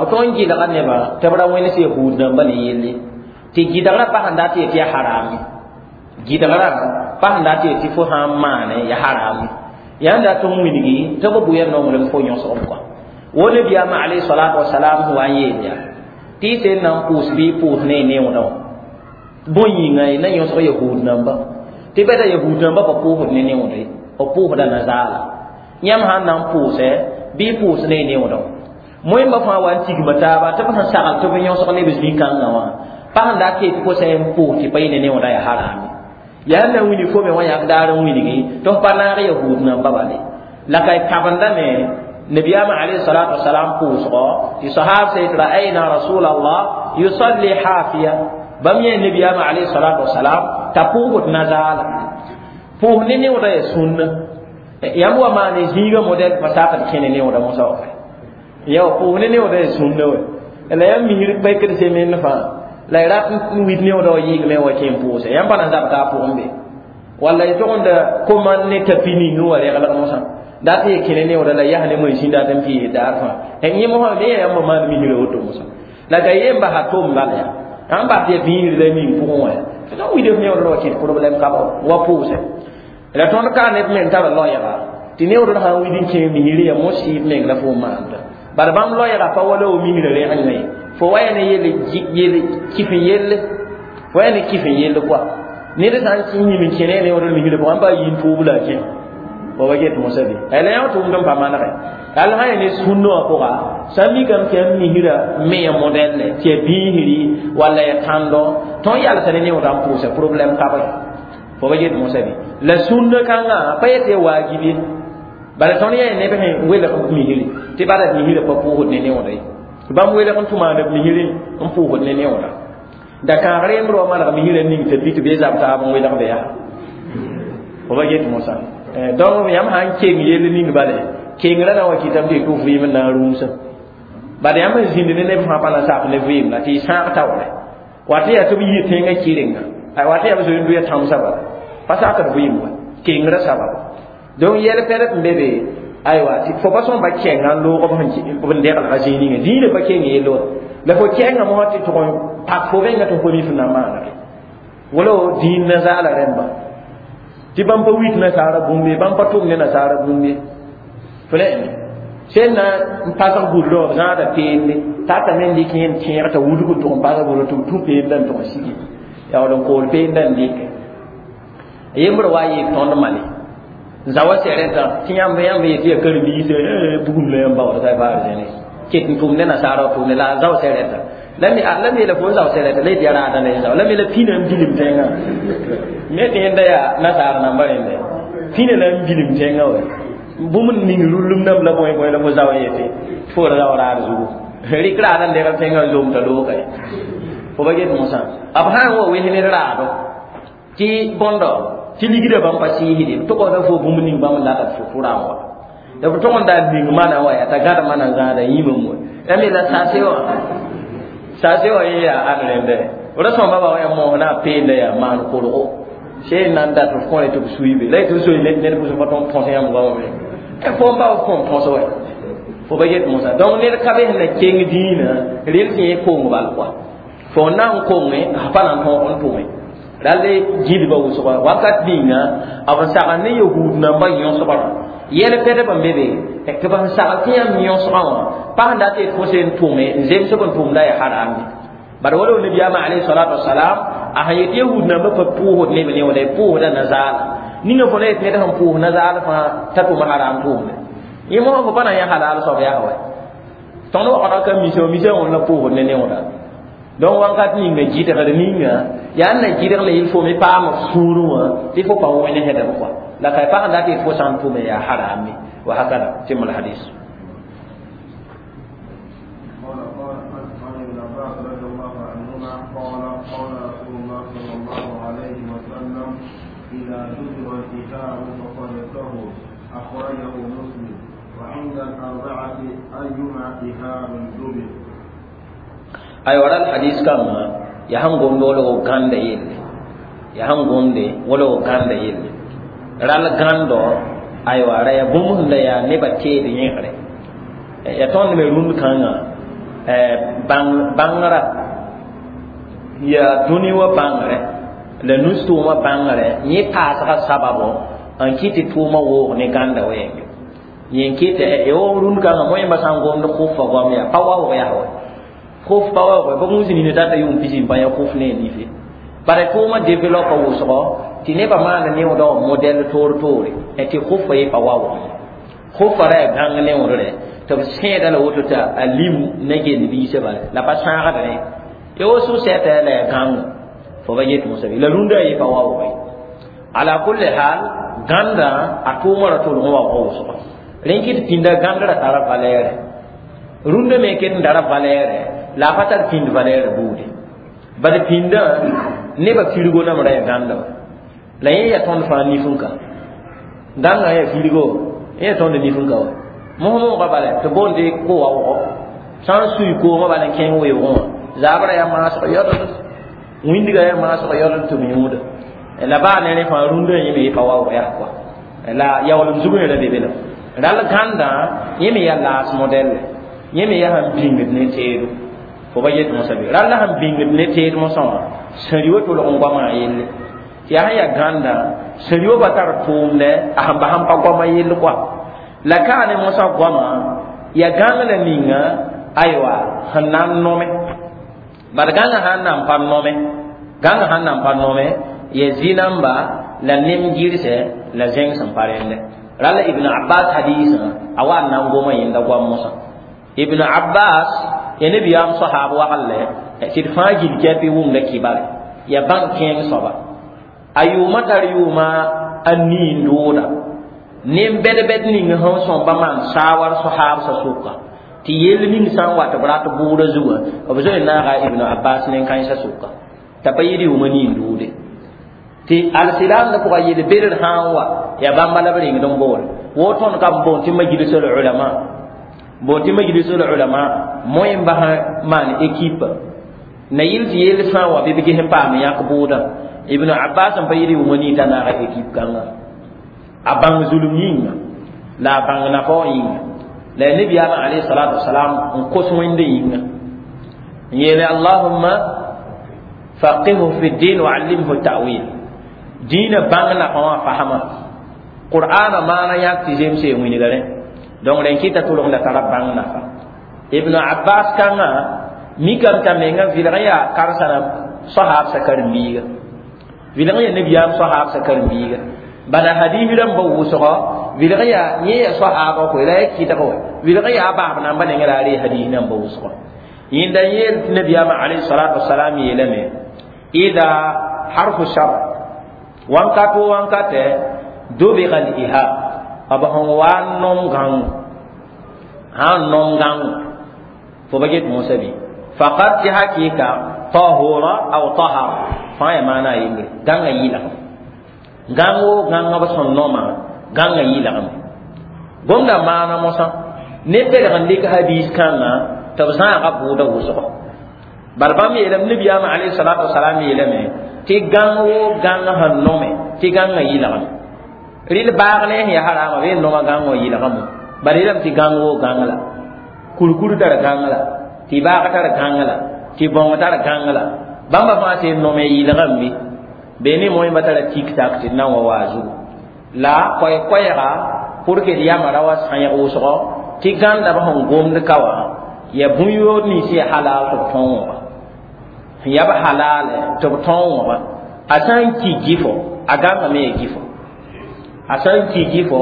b tõe n gɩlga nebã tɩ b ra wẽns yahud namba ne yelle tɩ gɩdgrã pa sẽn dat yetɩ ya harame gɩdgrã pa sẽn dat yetɩ fo sã n maane ya harame yaa n dat n wilgi tɩ b bʋya nonglem fo yõsg kɔa wo nabiyaamã alayhi salatu wasalam sẽn wa n yeel yaa tɩ y sẽn na n pʋʋs bɩ pʋʋs ne y neoodã wã bõe yĩnga y na yõsg yahud namba tɩ bɛda yahud namba pa pʋʋsd ne neoodã ye b pʋʋsda nazaala yãmb sãn na n pʋʋsɛ bɩ pʋʋs ne y neoodã wã moẽmba fãa wa n tigma taaba tɩ b sẽn sagl tɩ b yõsg neb zĩ-kãngã wã pa sẽn dat tɩ fo sã n pʋʋs tɩ pa yɩ ne neoodã yaa harame yaa na wilg fo me wã yãk daar n wilgi tɩ f pa naag yahud namba bale la ka y kabendame nabiyaamã alayhi salatu wasalam pʋʋsgɔ tɩ sahab sɛ tɩ ra'ayna rasulallah yusalli hafiya bãmb yẽ nabiyaamã alayhi salatu wasalam t'a pʋʋsd nazaala pʋʋs ne neoodã yaa sũnna yãmb wa maane zĩigã modɛl pa sakd kẽne neoodã mosã wa ya pʋʋs ne neoodã yaa sũnna wɛ la yãmb misr paikd semen fãa la y rat n wid neoodã wa yɩɩgme wa kẽ n pʋʋse yãmb pa na zab t'a pʋgẽ be walla y togenda koman ne tapi ning wa reglg mosã dat tɩ y kẽne neoodã la yas ne moẽ dat n pɩɩs daar fãa yẽ mosã me ya yãmb maan misrã woto mosã la ka yem basa tom bala yaa ãn bas tɩ ya bĩisr la ning pʋgẽ wã ya tɩ wid f neoodã wa kẽt problème ka wa pʋʋse la tõnd ka neb meng tara loɛɛga tɩ neoodã sã n wid n kẽ misr ya mos-sɩɩb meng la fo maanda bala bãmb loɛɛga pa wala w misrã rẽgenga ye fo wa ya ne yel yel kɩf n yelle fo ya ne kɩf n yelle koa ned sã n yĩm n kẽne neoodã misrã pʋgã pa yĩn tʋʋb la a kẽ fo wa get mosã be la yã tʋʋmd n pa manegɛ al sã ya ne sũnna wã pʋga sã n mikame tɩ yãmb misrã me ya modɛlle tɩ ya bĩisri walla ya tãndo tõnd yalsa ne neoodã n pʋʋsa problème ka ba fo ba get mosã be la sũnna kãngã pa yetɩ ya waajib ye bala tõnd yaa neb sẽn welg misri tɩ bala misrã pa pʋʋsd ne neoodã ye bãmb welg n tʋmaaneb misri n pʋʋsd ne neoodã da kãag reemd wa maneg misrã ning t'a pi tɩ bee zab taab n welg be yaa fo ba get mosã donc yãmb sã n keng yell ning bale kengrã na wa kɩtame tɩ y tʋ vɩɩm n na n rũusã bala yãmb sẽn zĩnd ne neb fãa pa na sak ne vɩɩm la tɩ y sãag taoore wat yaa tɩ b yɩ tẽngã kɩrenga wat yaa b zoe n doya tãmsã bala pa sakd vɩɩm wa kengrã sababa donc yɛl pɛd n be be aywa tɩ fo pa sõn pa kẽnga n loog b n deglga zĩig ninga dĩinã pa keng yell wa la fo kẽnga mosã tɩ tʋg n pak fo rẽnga tɩ fo mi f na maanege wala dĩin nazaala rẽmba tɩ bãmb pa wit nasaara bũmb ye bãmb pa tʋm ne nasaara bũmb ye fo ne sẽn na n pasg gũudrã wã b zãada peende tata me n dɩk yẽnd tẽeg t'a wudg n tʋg n pasg gũudrã tɩ b tũ peendã n tʋg n sigi yaool n kool peendã n dɩke yembr wa yɩɩg tõnd male zawa sɛrɛtã tɩ yãmb yãmb yetɩ ya karen-biis bugum la yãmb baood t'a baar zẽne ket n tʋm ne nasaara wa tʋm ne la a zao sɛrɛtã la me la me la fo n zao sɛrɛtã la yetɩ ya raada la zao la me la pĩna n bilim tẽngã me tɩ yẽnda yaa nasaar namba rẽnda pĩna la n bilim tẽngã wa bũmb n ning rũllum dãmb la bõe bõe la fo zao yetɩ fo ra zao raad zugu rɩk raada n degl tẽngã n zomta looga ye fo ba get mosã b sã n wa wes ned raado tɩ bõndo tɩ ligdã bãmb pa sɩɩsde b tʋgda fo bũmb ning bãmb n lata fo fʋ rã n wa la b tʋg n da ning mana wa yaa t'a gãd mana zãada yĩmam wa la me la sase wã sase wã yẽ yaa ãn rẽnda ra sõmba ba wa yaa moos na a peenda yaa maan kolgo sẽn na n dat f kõre tɩ b suiibe la y tɩ b soe ned pʋsẽ pa tõnd põs yãmb goamame fo n ba f kõn põs wa fo ba get mosã donc ned ka be sẽn na keng dĩinã rel tɩ yẽ kong bal koa fo n na n konge a pa na n tõog n tʋme rall gilba wʋsga wakat ninga b n sagl ne yahud nambã yõsgrã yɛl pɛdb n be be tɩ b sẽn sagl tɩ yãmb yõsgã wã pa sẽn dat yet fo sẽn tʋme n zems b n tʋmda ya harame bara wala nabiyaamã alayhi salatu wasalam a sẽn yet yahud nambã pa pʋʋsd neb neooda pʋʋsda nazaala Ninga fo na yet ned sẽn pʋʋs na zaal fãa t'a tʋm haram tʋʋmde yẽ mosã fo pa na yã halal soab yaa wa tõnd waoogdã ka misa misa wẽnd la pʋʋsd ne neooda donc wãnkat ninga gɩdgr ninga yaa n na gɩdg la yel fo me paam f sũurẽ wã tɩ fo pa wẽnesdb kɔa la ka pa sẽn dat yet fo sã n tʋme yaa harame wa hakada tɩm l hadis. قال قال عن ابن عباس رضي الله عنهما قال قال رسول الله صلى الله عليه وسلم إذا دبغ الإهاب فقد طهر. أخرجه مسلم. وعند الأربعة أيما إهاب دبغ. Aywa, ral hadis kãngã yaa sẽn gomd wala w gãnda yelle, yaa sẽn gomde wala w gãnda yelle ral gãndo. Aywa, ra yaa bũmb sẽn da yaa nebã teed yẽgre ya tõnd me rũnd kãngã bãngrã yaa dũni wã bãngre la nus-tʋʋmã bãngre yẽ paasga sababo n kɩt tɩ tʋʋmã woog ne gãnda wɛɛnge yẽ n kɩt yo rũnd kãngã moẽmba sã n gomd kʋfa goam yaa pa waoog yaa wa khuf pa waoog ba gũus nina tata yʋʋm pisi n pa yã khuf ne nife bara tʋʋmã développe wʋsgɔ tɩ nebã maana neoodã wã modɛl toor toore tɩ khufa ye pa waoog ye khufa ra yaa gãng neoodre tɩ b sẽeda la woto t'a a lim ne gend biisã bala la pa sãagdrẽ ya wo sʋ-sɛta la yaa gãngo fo ba yet mosã la rũndã ye pa waoog ye. Ala kulli hal, gãndã a tʋʋmã ra tʋlg n waoog wʋsgɔ rẽn kɩt pĩnda gãnd ra tara valɛɛrɛ rũndã me ket n tara valɛɛrɛ la a pa tar pĩnd valɛɛrɛ buude bad pĩndã nebã firgo nam ra yaa gãnda wa la yẽ yaa tõnd fãa nif n ka gãngã yaa firgo yẽ yaa tõnd nif n ka wa mos-moogã bala tɩ boonde ko-waoogo sã n sui koomã bala n kẽng weoogẽ wã zabrã yaa maasg yɔdd wĩndgã yaa maasg yɔdd tɩ b yũuda la baa ne rẽ fãa rũndã yẽ me pa waoog yaa kɔa la yaoolem zugẽ ra be be la ral gãndã yẽ me yaa laas modɛlle yẽ me yaa sẽn bĩngd ne teedo fo ba yet mosã be ral la sẽn bĩngd ne teed mosã wã sẽri wa tolg n goamã yelle tɩ yaa sẽn yaa gãndã sẽri wa pa tar tʋʋmdɛ a sẽn ba sẽn pa goamã yell kɔa la kaa ne mosã goamã yaa gãng la ninga aywa sẽn na n nome bad gãngã sãn na n pa nome gãngã sãn na n pa nome ya zĩ-namba la nem gɩrsɛ la zẽng sẽn pa rẽndɛ rala Ibn Abbas hadisã a wa n na n goma yẽnda goam mosã. Ibn Abbas ya nebiyaam sohaab waglɛ tɩ d fãa gil kɛpɩ wʋmda kibare ya bãng kẽeng soaba a yʋʋmã tar yʋʋma a nii n dooda nen-bɛd-bɛd ning sẽn sõmba maan saawar sohaabsã sʋka tɩ yell ning sã n wa tɩ b rat bʋʋda zugã b zoe naaga Ibn Abbas nen-kãensã sʋka t'a pa yɩɩd yʋʋmã nii n duude tɩ alsilaamdã pʋga yel-bedr sã n wa yaa bãmba la b rengd n boole wo tõnd kam boon tɩ majlisul ulama boon tɩ majlisul ulama moẽmba sã maan équipe na yɩl tɩ yell sã n wa bɩ b ges n paam yãk bʋʋdã. Ibn Abbas n pa yɩɩd yʋʋmã nii t'a naaga équipe kãngã a bãng zulum yĩnga la a bãng nafa wã yĩnga la nebiyaamã alayhi salatu wasalam n kos wẽnde yĩnga n yeele allahumma faqihhu fi din wa allimhu ta'wil dĩinã bãng nafa wã fasma qur'ana maana yãk tɩ zemse wilga rẽ donc rẽn kɩta tʋlg la tara bãng nafa. Ibn Abbas kãngã mikame t'a menga vɩlg n yaa karsa sohaabsã karen-biiga vɩlg n yaa nebiyaam sohaabsã karen-biiga bala hadis rãmba wʋsgɔ vɩlg yaa yẽ yaa sohaabã koe la ya kɩdg wa vɩlg yaa baab namba nengã la a ree hadis namba wʋsgɔ yẽnda yeel tɩ nebiyaamã alayhi salatu wasalam yeelame ida harfu shar wãnkat o wãnkatɛ dobga l-ihab b sẽn wa n nom gãngo sã n nom gãngo fo ba get mosã bɩ faqad tɩ hakɩɩka tahura aw tahara fãa yaa maana a yembre gãngã yɩlgem gãngo gãngã b sẽn noma gãngã yɩlgame gomda maana mosã ne belg n dɩk hadis kãngã tɩ b zãaga bʋʋda wʋsgɔ bala bãmb yeelame nebiyaamã alayhi salatu wasalam yeelame tɩ gãng wo gãng sẽn nome tɩ gãngã yɩlgame rɩl baag ne sẽn yaa harama bee noma gãng wã yɩlgame bala yeelame tɩ gãng wo gãng la kurkur tar gãng la tɩ baag tar gãng la tɩ bõng tar gãng la bãmba fãa sẽn nome yɩlgame bɩ be ne moẽmba tara tik-tak tɩ d na n wa waa zugu la koɛ-koɛɛga pour que d yama ra wa sãyg wʋsgɔ tɩ gãnda b sẽn gomd ka wã ya bũn-yood nins yaa halal tɩ b tõog wã sẽn yaa b halal tɩ b tõog wã a sã n ki gɩfo a gãngame ya gɩfo. A sã n ki gɩfo,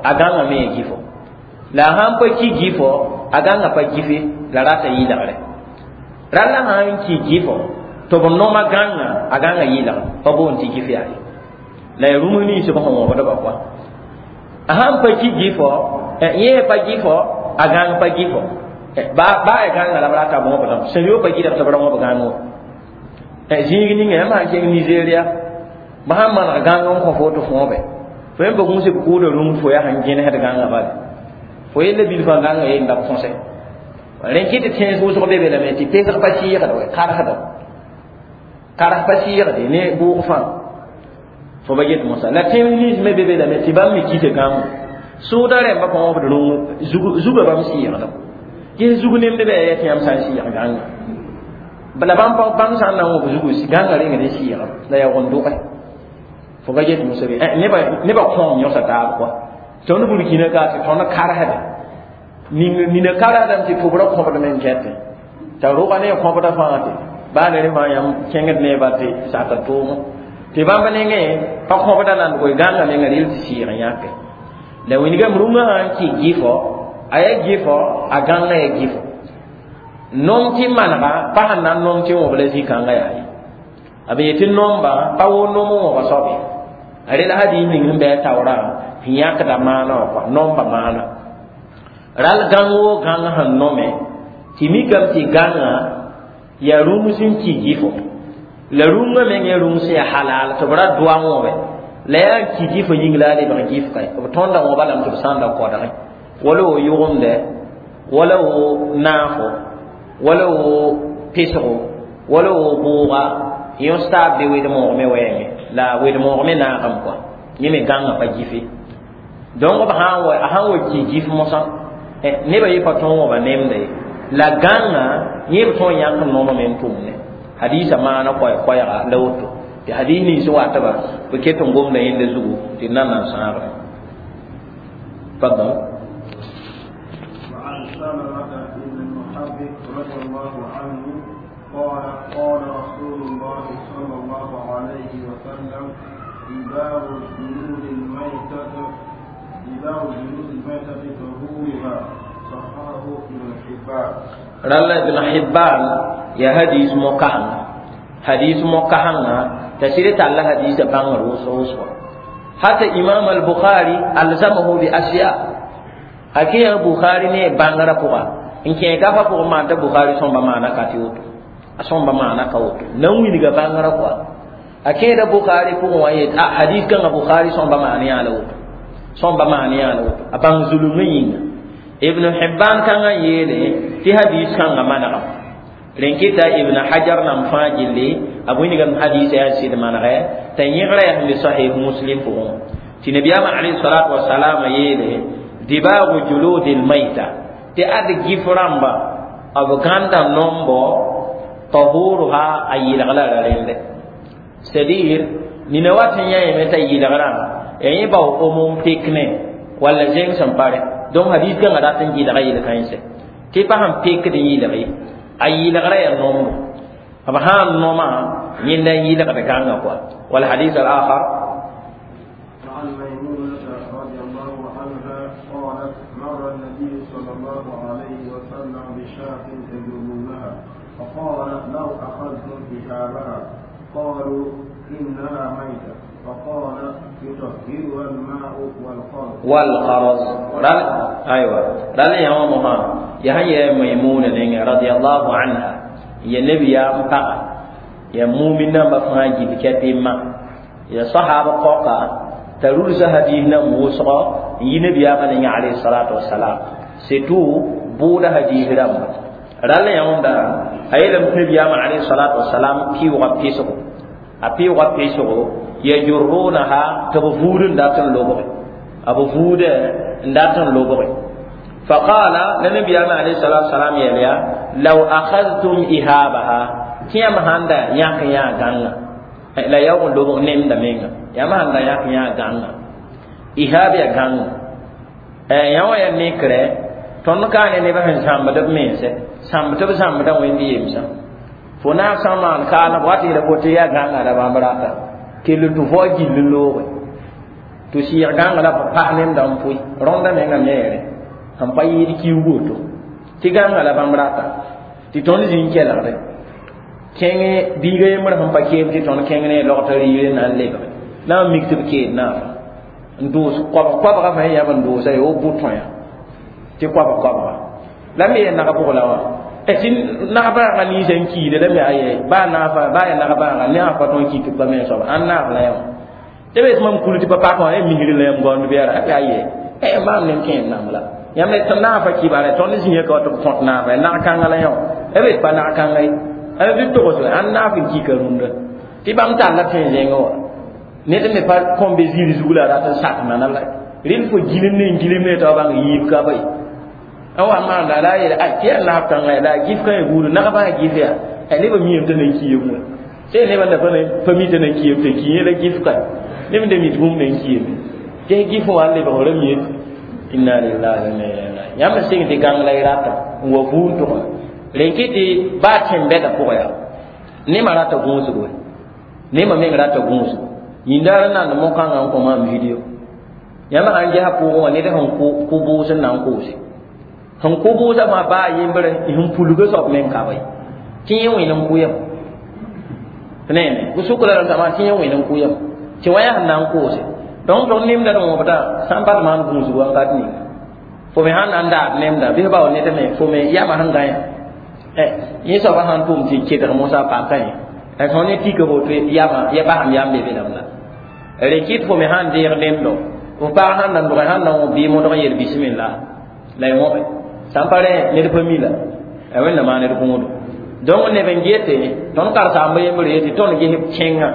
a gãngame ya gɩfo. La a sãn pa ki gɩfo, a gãnga pa gɩfe, la rata yɩlgre. Ralla sã n ki gɩfo tɩ b noma gãnga, a gãnga yɩlg pa boond tɩ gɩf yaa ye. La ya rũms nins b sẽn wõbdba kɔa. A sãn pa ki gɩfo, yẽ pa gɩfo, a gãng pa gɩfo. Ba ba ya gãnga la b rata b wõbdame. Sẽn yo pa gɩlg tɩ b ra wõb gãng wã. Zĩig ninga yãmb sãn kẽng Nigeria, b sãn maneg gãng n kõ fo tɩ fõobe, fo yẽ pa gũus b kʋʋda rũms fo yaa sẽn gẽnesd gãngã bale. Fo yella bilfã gãngã yenda b kõse. Rẽ kɩ tɩ tẽns wʋsg be be lame tɩ pesg pa sɩɩgd wɛ, karsda. Kars pa sɩɩgde ne bʋʋg fãa. Fo ba get mosa. La tẽns nins me be be lame tɩ bãmb me kita gãngo. Sʋʋda rẽmbã pa wõbd rũng zugã bãmb sɩɩgda. Ges zug nemd bɩ ya tɩ yãmb sã n sɩɩg gãnga. La bãmb bãmb sã n na n wõb zugu gãngã rengd n sɩɩgame la yaa wẽn-dʋge. Fo ba get mosa be nebã nebã kõom yõsa taab kɔa. Tõnd burkina ka tɩ tõnd karsda. Nina karsdame tɩ tʋbrã kõbdme n kɛtẽ. T'a rʋga ne kõbda fãa tɩ baa ne rẽ fãa yãmb kẽngd neeba tɩ sata tʋʋmẽ. Tɩ bãmb nengẽ pa kõbda nandgo gãngã menga rɩl tɩ sɩɩg n yãke. La wĩnigame rũngã sã n kɩ gɩfo, a yaa gɩfo, a gãngã yaa gɩfo. Nom tɩ manega pa sẽn na n nom tɩ wõb la zĩ-kãngã yaa ye. A be yetɩ nomba pa wo nom n wõba soab ye. A rela hadis ning sẽn bɩ a taoorã sẽn yãkda maana wã kɔa, nomba maana. Ral gãng woo gãng sẽn nome tɩ mikame tɩ gãngã yaa rũms n ki gɩfo. La rũngã meng yaa rũms yaa halal tɩ b ra doa wõbe. La yaa n ki gɩfo yĩng la a lebg gɩf kae. B tõnda wõba lame tɩ b sã n da kodgẽ. Wala wo yʋgemdɛ, wala wo naafo, wala wo pesgo, wala wo bʋʋga, yõs taab be wed-moogme wɛɛngẽ. La wed-moog me naagame kɔa. Yẽ me gãngã pa gɩfe. Donc b sã n wa a sãn wa ki gɩf mosã, nebã yẽ pa tõog wõba nemda ye. La gãngã yẽ b tõog n yãk nomame n tʋmne. Hadisa maana koɛɛ-koɛɛga la woto. Tɩ hadis nins watba b ket n gomda yẽnda zugu tɩ d na n na n sãagre. Tfaddal. وعن سلمة بن المحبب رضي الله عنه قال قال رسول الله صلى الله عليه وسلم دباغ جلود الميتة دباغ جلود الميتة طهورها. صححه ابن حبان. Ralla Ibn Hibban ya hadis mokahanga. Hadis mokahanga tasiri talla hadis bãngr wʋsg wʋsgo. Hata Imam al-Bukhari alzamahu bi asya. Hakiya Bukhari ne bãngrã pʋga n kẽ gafa pʋgẽ maan t'a Bukhari sõmba maana ka tɩ woto. A sõmba maana ka woto. Na n wilga bãngrã kɔa. A kẽeda Bukhari pʋgẽ wã yet a hadis kãngã Bukhari sõmba maan yaa la woto. Sõmba maan yaa la woto. A bãng zulumã yĩnga. Ibn Hibban kãngã yeele tɩ hadis kãngã manegame. Rẽn kɩta Ibn Hajar nam fãa gilli a wilgame hadis yaa sɩd manegɛ t'a yẽgrã yaa sẽn be Sahih Muslim pʋgẽ. Tɩ nabiyaamã alayhi salatu wasalam yeele dibaagu juludi lmaita tɩ ad gif rãmba b gãnda nombo tahuruha a yɩlg la ra rẽndɛ. C'est à dire nina wat n yã yeme t'a yɩlgrã ya yẽ bao omo n pek ne walla zẽng sẽn pare. Donc hadis kãngã rat n gɩlga yel-kãense tɩ pa sẽn pekd n yɩlg ye, a yɩlgrã yaa nombo. B sã n noma yẽnda n yɩlgd gãngã kɔa. والحديث الآخر. وعن ميمونة رضي الله عنها قالت مر النبي صلى الله عليه وسلم بشاة يجرونها فقال لو أخذتم إهابها. قالوا إنها ميتة. فقال يطهرها الماء والقرض. والقرض. رال أيوة رال يا ماما يا هي ميمونة رضي الله عنها يا نبي يا مقا يا مؤمن نamba fãa gil kɛtɩ ma ya sahaba qoka t'a rulsa hadis nan wʋsgɔ n yi nabiyaamã ninga alayhi salatu wasalam surtout bʋʋda hadis rãmba rall yãwẽnda a yeelame tɩ nabiyaamã alayhi salatu wasalam pɩʋʋga pesgo a pɩʋʋga pesgo yajurrunaha tɩ b vuud n dat n lobge a b vuudɛ n dat n lobge. فقال للنبي عليه الصلاة والسلام يا لو أخذتم إهابها tɩ yãmb sãn da yãk yã gãnga la yaoog n lobg nemda menga yãmb sãn da yãk yã gãnga ihab ya gãnga yã wã ya nekrɛ tõnd ka ne nebã sẽn zãmbd b mense zãmb tɩ b zãmbda wẽnd yemsã fo naag sã n maan kaana b wat yeela fo tɩ yaa gãnga ra bãmb rata kell tɩ vao gill n looge tɩ sɩɩg gãnga la b pas nemda n pʋɩ rõnda menga meere sẽn pa yɩɩd kiuug woto tɩ gãnga la bãmb rata tɩ tõnd zĩ n kelgde kẽng biiga yembr sẽn pa keem tɩ tõnd kẽng ne logtã riir n na n lebge na n mik tɩ b keed naafã n doos koabg koabga fãa yãb n doosa ye wo bʋ-tõya tɩ koabg koabga la me yaa nag bʋg la wã tɩ nag bãagã ninsã n kiide la me aye baa naafa baa yaa nag bãaga naaf pa tõe n ki tɩ pa me soaba ãn naaf la yã wã tɩ be mam kul tɩ pa pak wã misr la yãmb gaoond bɩ yaa aye eh maam nem kẽem namb la yãmb tɩ naafa kibara tõnd zĩiga ka wa tɩ b kõt naafa ya nag kãnga la yã wã b pa nag kãnga ye b togs ãn naaf n kika rũndã tɩ bãmb talla tẽ zẽngẽ wã ned me pa kõn be zĩir zug la a rat n sak nana la rẽnd fo gilim ne n gilim ne t'a bãng yiib ka ba ye n wa maanda la a yeele a tɩ yaa naaf kãnga la a gif kã ya buudu nagba a gif yaa a nebã miame t'a nan kiime wã sẽn nebã da pa mi t'a nan kiime t'a ki la gif ka neb da mi tɩ bũmb nan kiime tɩ gif wã n lebg ra mie inna lillahi wa inna ilayhi raji'un yãmb sɩng tɩ gãng la y rata n wa vuun tʋga rẽn kɩ tɩ baa tẽn-bɛda pʋgã yaa nemã rata gũusgo nemã meng rata gũusgo yĩndaar n nand mo-kãngã n kõ maam video yãmb sãn gesa pʋʋgẽ wã ned sẽn kʋ bʋʋs n na n koose sẽn kʋ bʋʋsã fãa baa yembre sẽn pulga soab meng ka ba tɩ yẽ wẽn n kʋ yam nene sʋk la rãmb tɩ yẽ wẽn n kʋ yam tɩ wã yaa sẽn na n koose donc tõnd nemda d wõbda sãn pa maan gũusg wakat ninga fo me sãn na n daad nemda bɩs bao ned me fo me yama sẽn gã yã yẽ soaba sãn tʋm tɩ kedg mosã paka yẽ tõnd ne tika woto yama ya basam yam be be lam la rẽ kɩt fo me sãn deeg nemdo f pag sãn na n dʋgẽ sãn na wõ bɩ modg n yel bisimilla la y wõbe sãn pa rẽ ned pa mi la wẽnna maan d gũudo donc neb n gete tõnd karsaamba yembr yetɩ tõnd ges kẽngã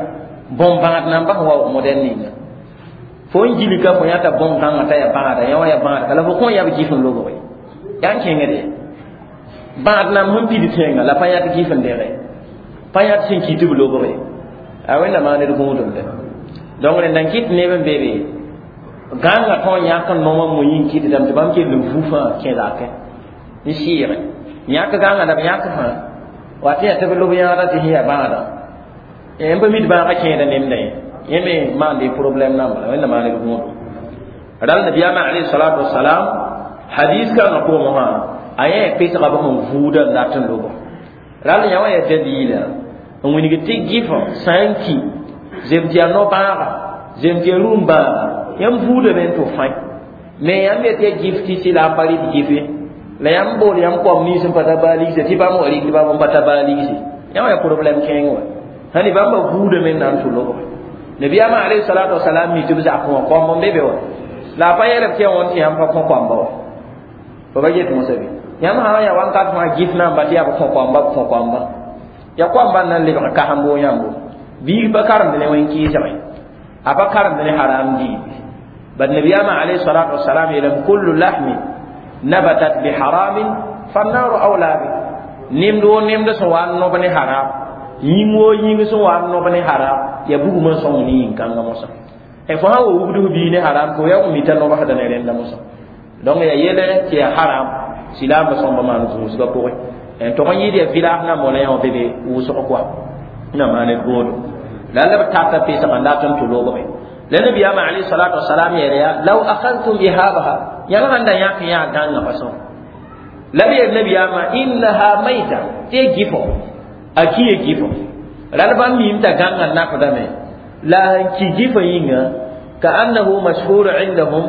bõn-bãad na n bas waoog modɛl ninga fo n gilka fo yãta bõn-kãngã t'a yaa bãada yã wã yaa bãad la fo kõn yab gif n lobge yaa n kẽngde bãad nam sẽn pid tẽngã la pa yãt gif n dẽge pa yãt sẽn ki tɩ b lobge a wẽnna maan d gũudumde donc rẽnda n kɩt neb n be be gãngã tõe n yãk n nom n mo yĩng kɩtdame tɩ bãmb kell n vu fãa kẽ zakẽ n sɩɩge yãk gãngã la b yãk fãa wa tɩ yaa tɩ b lob yãada tɩ sẽn yaa bãada n pa mid bãagã kẽeda nemda ye yẽ me maande problème namba la wẽnna maan d gũudo ral nabiyaamã alayhi salatu wasalam hadis kãngã pʋgẽ mosã a yẽ pesga b sẽn vuuda n dat n lobo ral yã wã yaa dalila n wilg tɩ gɩfã sã n ki zem tɩ yaa no-bãaga zem tɩ yaa rũm-bãaga yãmb vuudame n tʋ fãe me yãmb yetɩ yaa gif tɩ sɩla a pa rɩt gɩfe la yãmb bool yãmb koam nins n pa ta baa ligse tɩ bãmb wa rɩk tɩ bãmb n pa ta baa ligse yã wã yaa problème kẽeng wa sãn bãmba vuudame n na n tʋ lobge nabiyaamã alayhi salatu wasalam mi tɩ b zakẽ wã koamb n be be wa la a pa yeelb tɩ ya wãn tɩ yãmb pa kõ koamba wa fo ba get mosã be yãmb sã yaa wãnkat fãa gif na n ba tɩ yaa b kõ koamba b kõ koamba ya koamba n na n lebg kasembo yãmbo biig pa karemd ne wẽn-kɩɩsgẽ a pa karemd ne haram diibi bad nabiyaamã alayhi salatu wasalam yeelame kullu lahmin nabatat biharamin fannaru awla bi nemd wo nemd sẽn wa n nob ne haram yĩng woo yĩng sẽn wa n nob ne haram ya bugmã sõng ne yĩn-kãngã mosã fo sã wa wugd f bii ne haram ko ya mita nobsda ne rẽnda mosã donc ya yele tɩ ya haram silaambã sõmba maan gũusgã pʋgẽ n tog n yɩɩd ya village na mola yã wã be be wʋsg koa na maan d goodo la la b tata pesgã n dat n tʋ lobge la nabiyaamã alayhi salatu wasalam yeela yaa law akhadtum ihabaha yãmb sãn da yãk yã gãngã pa sõm la b yeel nabiyaamã innaha maita tɩ ya gɩfo a ki ya gɩfo ral bãmb miim t'a gãngã nafdame la sẽn ki gɩfã yĩnga ka annahu mashhur indahum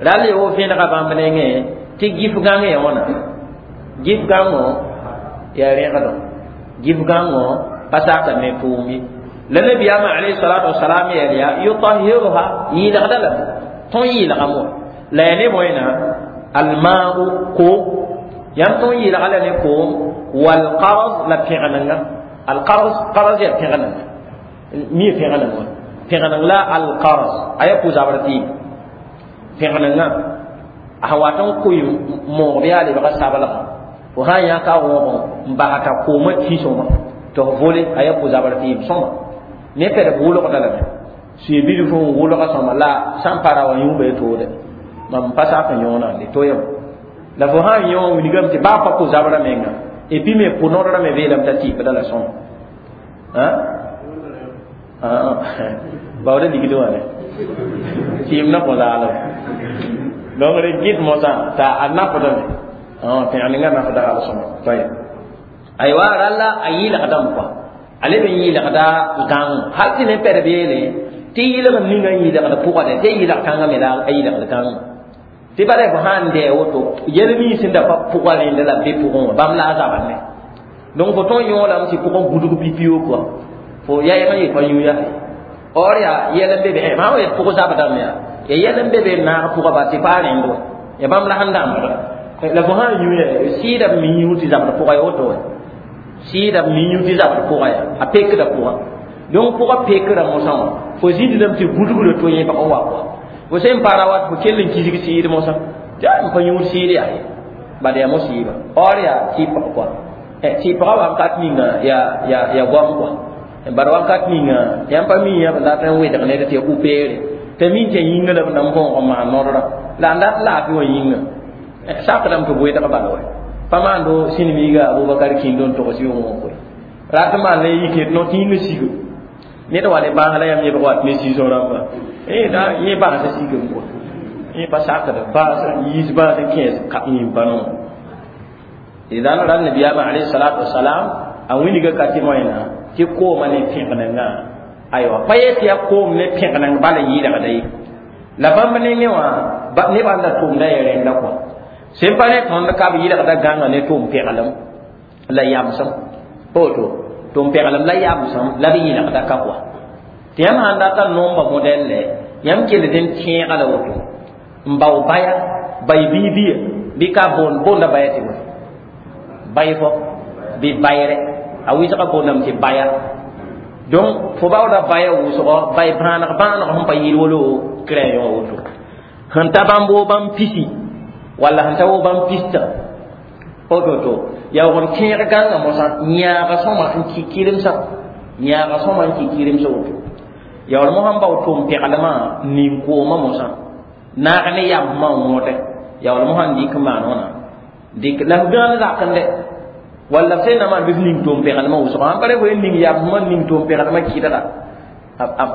ral ya wo vẽnega bãmb nengẽ tɩ gɩf gãng ya wãna gɩf gãngo yaa rẽgdo gɩf gãngo pa saka ne tʋʋm ye la nabiyaamã alayhi salatu wasalam yeel yaa yutahiruha yɩɩlgda lame tõn yɩɩlgame wã la ya ne bõena alma'u koom yãmb tõn yɩɩlga la ne koom walqarz la pẽgenenga alqarz qarz yaa pẽgenenga mi ya pẽgeneng wã pẽgeneng la alqarz a yaa pʋ-zabr tɩɩm pẽgenenga a sẽn wat n kʋɩ moog bɩ yaa lebga sablga fo sã n yãka wõgõ n basata koomã tĩ sõma tɩ f vole a yaa pʋ-zabr tɩɩm sõma ne pɛd b wʋlgda lame sʋɩ bilf n wʋlga sõma la sã n pa ra wã yũuba y toode mam pa sak n yõonã de toyame la fo sã n yõ wilgame tɩ baa pa pʋ-zabrã menga et puis me pʋ-nodrã me beelame t'a tɩɩpda la sõma baooda ligd wã ne Tɩɩm na kõ zaalem donc rẽ gɩd mosã t'a a nafdame pẽg ninga nafda hal sõma tayeb aywa ralla a yɩlgdame kɔa a leb n yɩlgda gãng hal tɩ ne pɛd beele tɩ yɩlg ninga n yɩlgd pʋgdɛ tɩ yɩlg kãngã me la a yɩlgd kãngã tɩ bala fo sãn dɛ woto yɛl nins sẽn da pa pʋga rẽnda la b be pʋgẽ wã bãmb la a zabr ne donc fo tõe n yõolame tɩ pʋgẽ gudg pipi-yo kɔa fo yaɛg n yet pa yũ yaa or yaa yɛl n be be sã wa yet pʋg zabdame yaa ya yɛl n be be n naag pʋga ba tɩ pa rẽnd wa ya bãmb la sẽn dãmbda la fo sã n yũ ya sɩɩda b mi yũ tɩ zabd pʋga ya woto wa sɩɩda b mi yũ tɩ zabd pʋga ya a pekda pʋga donc pʋga pekra mosã wã fo zĩndame tɩ gudgrã to yẽbg n wa kɔa fo sẽn para wat fo kell n kisg sɩɩd mosã tɩ a n pa yũud sɩɩd yaa ye bad yaa mosiiba or yaa tɩpg kɔa tɩpga wakat ninga ya ya ya goam kɔa bad wakat ninga yãmb pa mi yã b dat n wedg ned tɩ ya upeere t'a min tɩ yĩnga la b nan võog n maan nodrã la n dat laafɩ wã yĩnga sakdame tɩ b wedg bala wa pa maando sĩnmiiga Abubakar kĩndo n togs yʋngẽ wã koe rat n maan la yike no tɩ yĩnga siga ned wa ne bãas la yãmb yẽbg wat ne sɩsõ rãmba yẽ bãasã sigame kɔa yẽ pa sakd bãas yiis bãas n kẽes yĩm pa no idan ran nabiyama alayhi salatu wassalam a winiga ka tɩ moẽna tɩ kooma ne pẽgenengã aywa pa yet yaa koom ne pẽgeneng bala yɩɩlgda ye la bãmb nengẽ wã nebã n da tʋmda ya rẽnda kɔa sẽn pa ne tõnd ka b yɩlgda gãnga ne tʋm pɛglem la yamsem pa woto tʋm pɛglem la yamsem la b yɩlgda ka kɔa tɩ yãmb sãn dat n nomba modɛlle yãmb kell n tẽega la woto n bao baya bay biibia bɩ ka boond boonda baya tɩ bõe bay fo bɩ bayre a wɩsga boondame tɩ baya donc fo baooda baya wʋsgɔ bay bãaneg bãaneg sẽn pa yɩl wolo crayon woto sẽn ta bãmb woo bãmb pisi walla sẽn ta woo bãmb pista woto yaa wʋg n tẽeg gãngã mosã yãaga sõma n kɩ kɩremsã yãaga sõma n kɩ kɩremsã woto yaa wall mosã n bao tʋm pɛglmã nin-koomã mosã naag ne yambmã n wõte yaa wall mosã n dɩk n maan wãna dɩk la f gãan zakende walla f sẽn na maan bɩ f ning tʋm pɛglmã wʋsgã sãn pa re fo ning yambmã ning tʋm pɛglmã kɩdga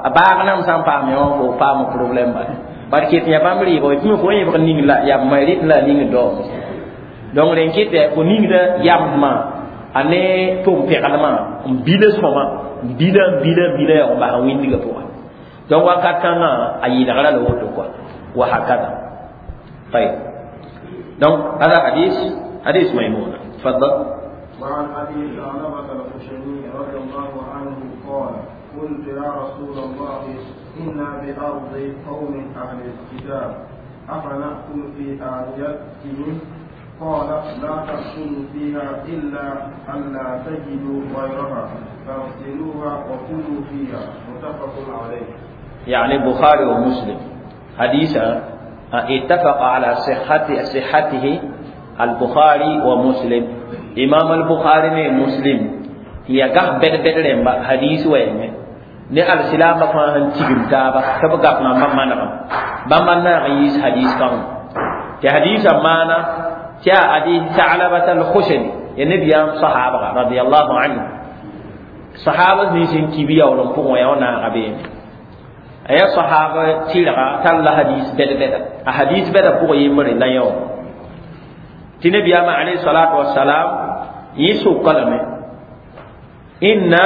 a baag nam sã n paam wã fo paam problème bala bad ket yã bãmb rɩɩbg tɩ me fo yẽbg ning la yambmã rɩt la ning dao donc rẽn kɩtɛ fo ningda yambmã a ne tʋm pɛglmã n bila sõma n bila n bila n bila yaa n bas n wĩndgã pʋgã donc wakat kãngã a yɩlgra la woto kɔa wa hakada طيب donc هذا حديث حديث ميمونة تفضل. وعن أبي ثعلبة الخشني رضي الله عنه قال قلت يا رسول الله إنا بأرض قوم أهل الكتاب أفنأكل في آنيتهم؟ قال لا تأكلوا فيها إلا ألا تجدوا غيرها فاغسلوها وكلوا فيها. متفق عليه. يعني البخاري ومسلم حديثا اتفق على صحة صحته البخاري ومسلم. إمام البخاري مسلم هي قه بد بد رمبا حديث وين ne alsilama fãa sẽn tigim taaba tɩ b gap mam manegem bãmba naag n yiis hadis kãngã tɩ hadisã maana tɩ yaa adi Sa'labata al-Khushani ya nabiyaam sahabga radiyallahu anhu sahaba nins n ki bɩ yaool n pʋgẽ wã yaa naaga beene a yaa sahaba tɩrga tall la hadis bɛd-bɛda a hadis bɛda pʋgã yembre la yão tɩ nabiyaamã alayhi salatu wasalam yẽ soka lame inna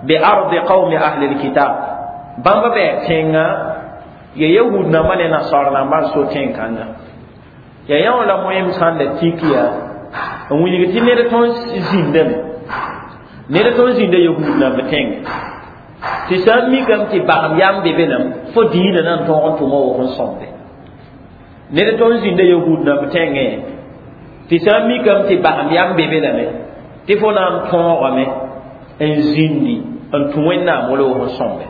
بأرض قوم أهل الكتاب بامبا بɛ tẽngã ya yahud nambã ne nasar nambã n so tẽn-kãngã ya yã wã la moẽm sãn da tik yaa n wilg tɩ ned tõnd zĩndame ned tõnd zĩnda yahud namba tẽngẽ tɩ sã n mikame tɩ bagem yam be be lame fo diinã na n tõog n tʋma wʋg n sõmde ned tõnd zĩnda yahud namba tẽngẽ tɩ sã n mikame tɩ bagem yam be be lame tɩ fo na n tõogame n zĩndi n tũ wẽnnaam wala wʋg n sõmbe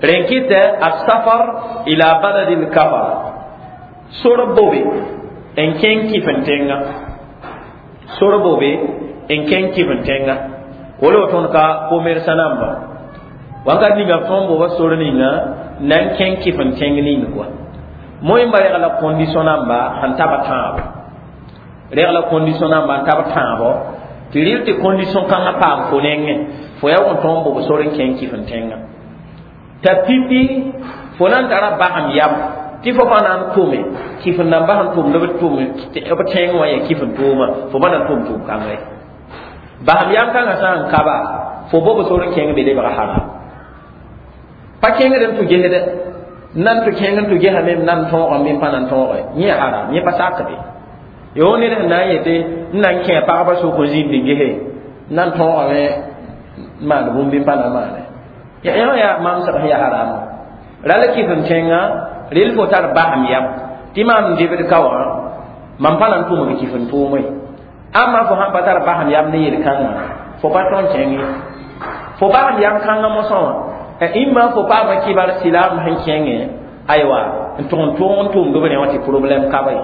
rẽn kɩtɛ asafar ila baladi lkafar sor bobe n kẽng kɩf n tẽnga sor bobe n kẽng kɩf n tẽnga wala tõnd ka commerçant namba wakat ninga b tõnd boba sor ninga na n kẽng kɩf n tẽng ning kɔa moẽmba reg la condition namba sẽn tab tãabo reg la condition namba n tab tãabo tɩ rɩl tɩ condition kãngã paam fo nengẽ fo yaa wʋn tõnd bob sor n kẽng kɩf n tẽnga t'a pipi fo na n tara basem yam tɩ fo pa na n tʋme kɩf n namba sẽn tʋmd b tʋm b tẽng wã yaa kɩf n tʋʋma fo pa na n tʋm tʋʋm kãngã ye basem yam kãngã sã n ka ba fo bob sor n kẽng be lebga haram pa kẽngd n tʋ gesdɛ nan tʋ kẽng n tʋ gesame m nan tõogame bɩ n pa na n tõoge yẽ haram yẽ pa sakde yo ned sẽn na n yetɩ n na n kẽ pagba sʋk n zĩnd n gese n na n tõogame n maan bũmb bɩ n pa na n maane yã yaa mamsg sẽn yaa haram rala kɩf n tẽngã rel fo tar basem yam tɩ maam debd ka wã mam pa na n tʋmd kɩf n tʋʋme amma fo sãn pa tar basem yam ne yel-kãngã fo pa tõn kẽng ye fo basem yam kãngã mosã wã imma fo paama kibar silaam sẽn kẽngẽ aywa n tʋg n tʋʋg n tʋmd b rẽ wã tɩ problème ka ba ye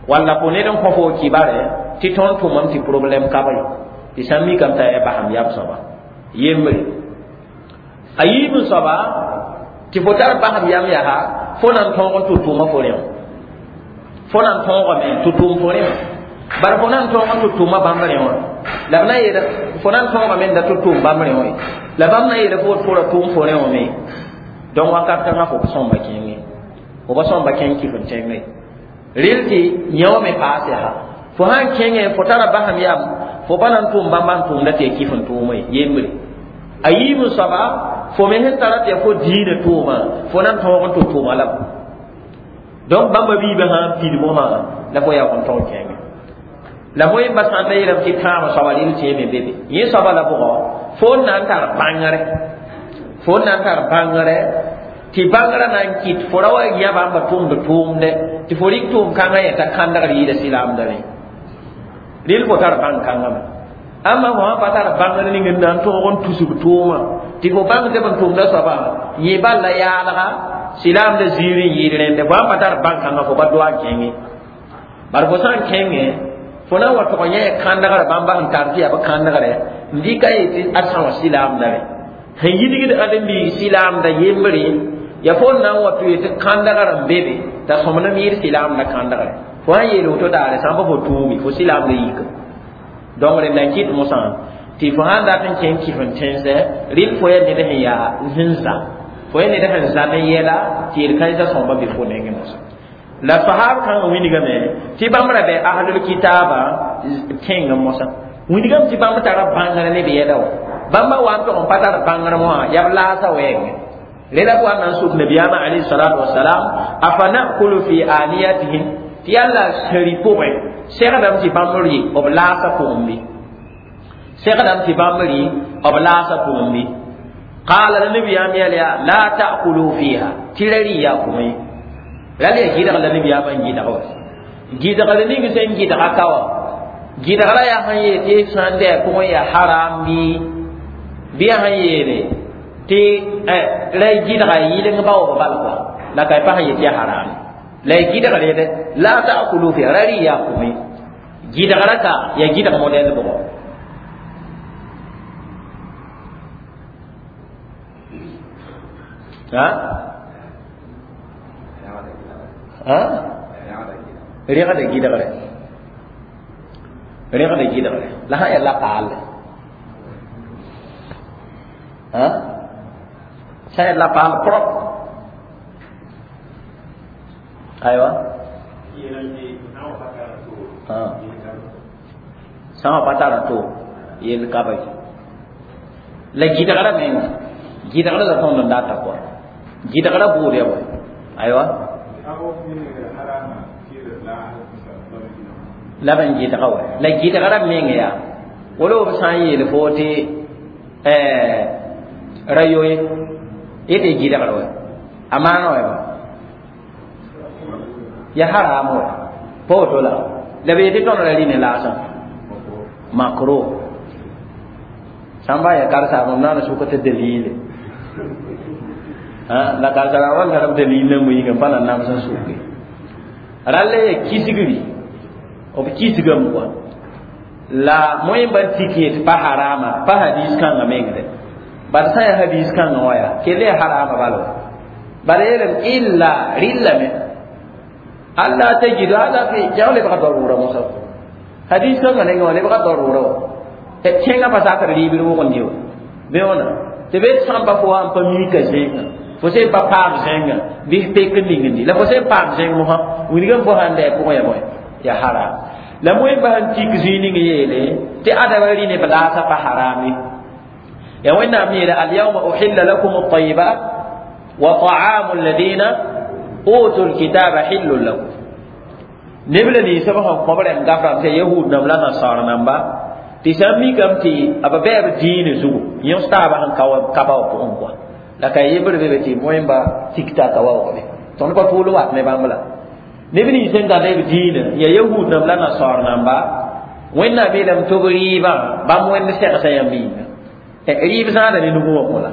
walla fo ned n kõ fo kibare tɩ tõnd tʋmame tɩ problème ka ba ye tɩ sã n mikame t'a yaa basem yam soaba yembre a yiib n soaba tɩ fo tar basem yam yaa fo na n tõog n tʋ tʋʋma fo rẽ fo na n tõogame tʋ tʋʋm fo rẽ bar fo na n tõog n tʋ tʋʋma bãmb rẽ wã la b na n yeel fo na n tõogame n da tʋ tʋʋm bãmb rẽ wã la bãmb na n yeela fo fo ra tʋʋm fo rẽ wã me donc wakat kãngã fo pa sõmba kẽnge fo pa sõmba kẽng kɩf n tẽnge rel tɩ yẽ wã me paas yaa fo sãn kẽngẽ fo tara basem yam fo pa na n tʋʋm bãmba n tʋʋmda tɩ yaa kɩf n tʋʋme yembre a yiib n soaba fo me sẽn tara tɩ yaa fo diinã tʋʋma fo na n tõog n tʋ tʋʋma la donc bãmba biibã sã n pid mosã la fo yaa n tõog kẽnge la fo yẽmba sã n ta yeelame tɩ tãabã soaba rel tẽeme be be yẽ soaba la bʋgɔ fo n na n tar bãngre fo n na n tar bãngre tɩ bãngrã na n kɩt fo ra wa yã bãmba tʋmd tʋʋmdɛ tɩ fo rɩk tʋʋm kãngã yẽta kãndgr yɩɩda silaamda rẽ rel fo tar bãng kãngã me amma fo sã pa tar bãngr ning n na n tõog n tusg tʋʋmã tɩ fo bãng tɩ b n tʋmda soaba yẽ bal la yaalga silaamda ziir n yɩɩd rẽnde fo sã pa tar bãng kãngã fo pa doa n kẽnge bar fo sã n kẽngẽ fo na n wa tʋg yẽ kãndgrã bãmba sẽn tar tɩ yaa b kãndgrɛ n dɩka yetɩ a sã wã silaamda rẽ sẽn yidgd ãdem-biig silaamda yembre ya fo n na n wa tɩ yetɩ kãndgrã n be be t'a sõmnem yɩɩd silaamda kãndgrɛ fo sã n yeel woto daare sã n pa fo tʋʋme fo silaamda yika donc rẽnd na n kɩt mosã tɩ fo sã n dat n kẽng kɩf n tẽnsɛ rɩl fo yaa ned sẽn yaa sẽn za fo yaa ned sẽn za ne yɛla tɩ yel-kãensã sõmba be fo nengẽ mosã la sahab kãngã wilgame tɩ bãmb ra bɩ ahlul kitaaba tẽngẽ mosã wilgame tɩ bãmb tara bãngr ne b yɛla wã bãmba wa n tog n pa tar bãngr wã yaa b laasa wɛɛngẽ rela b wa n na n suk nabiyaamã alayhi salatu wasalam afa nakulu fi aniyatihim tɩ yaa la sẽri pʋgẽ segdame tɩ bãmb rɩ b laasã pʋgẽ bɩ segdame tɩ bãmb rɩ b laasã pʋgẽ bɩ qaala la nabiyaam yɛl yaa la ta'kulu fiha tɩ ra rɩ yaa kʋmẽ ra le gɩdg la nabiyaamã n gɩdg wa gɩdgr ning sẽn gɩdga ka wã gɩdgra yaa sẽn yeel tɩ sã n dɛ pʋgẽ yaa haram bɩ bɩ yaa sẽn yeele tɩ la y gɩdga yɩleng ba wa bal kɔa la ka y pa sẽn yet yaa haram la y gɩdgr yẽde la ta'kulu fiha ra rɩ yaa kʋmẽ gɩdgra ka yaa gɩdg modɛl bʋgɔ ha ha rẽgda gɩdgre rẽgda gɩdgre la sã n yaa la paalle ha sã n yaa la paal propre aywa sã wã pa tara to yel ka ba la gɩdgra menga gɩdgra la tõnd n data kɔa gɩdgra buud ya bõe aywa la b n gɩdga wa la gɩdgra meng yaa wala b sã n yeel fo tɩ ra yoe yetɩ gɩdgr wa a maana wa ba ya haram wa pa woto la la b yetɩ tõnd ra rɩ ne laasã makro sã n ba ya karsaam b na n sʋka tɩ dalile la karsara wa n tar b dalil nan yĩnga n pa na nams n sʋke rall ya kisgri b kisgame kɔa la moẽmba n tik yetɩ pa harama pa hadis kãngã mengdɛ bad sã n yaa hadis kãngã wã yaa kell yaa harama bala wa bala yeelame illa rɩllame alla tajidu hada fi jaw lebga darura mosa hadis kãngã nengẽ wã lebga darura wa tẽngã pa sakr rɩɩbr wʋgend ye bɩ wãna tɩ be sãn pa fo wã n pa mika zẽngã Fo sẽn pa paam zẽngã bɩ pek n ningndi la fo sẽn paam zẽng mosã wilgame fo sãn dɛ pʋgẽ ya bõe ya haram la moẽmba sẽn tik zũi ning yeele tɩ adaba rɩ neb laasã pa haram ye ya wẽnnaam yeele alyawma uhilla lakum at-tayyibat wa ta'amu alladhina utul kitaba hillun lakum neb la ninsã b sẽn kõb rẽmb gaframe tɩ yahud namba la nasar namba tɩ sã n mikame tɩ b bɛɛb dĩinã zugu yõs taabã sẽn ka ba wã pʋgẽ kɔa la ka yembr be be tɩ moẽmba tikta ka waoogbe tõnd pa tʋʋl wat ne bãmb la neb nins sẽn gãd b dĩinã ya yahud namba la nasar namba wẽnnaam yeelame tɩ b rɩɩbã bãmb wẽnd segsã yãmb yĩnga rɩɩb zãada ne nugu wã mõla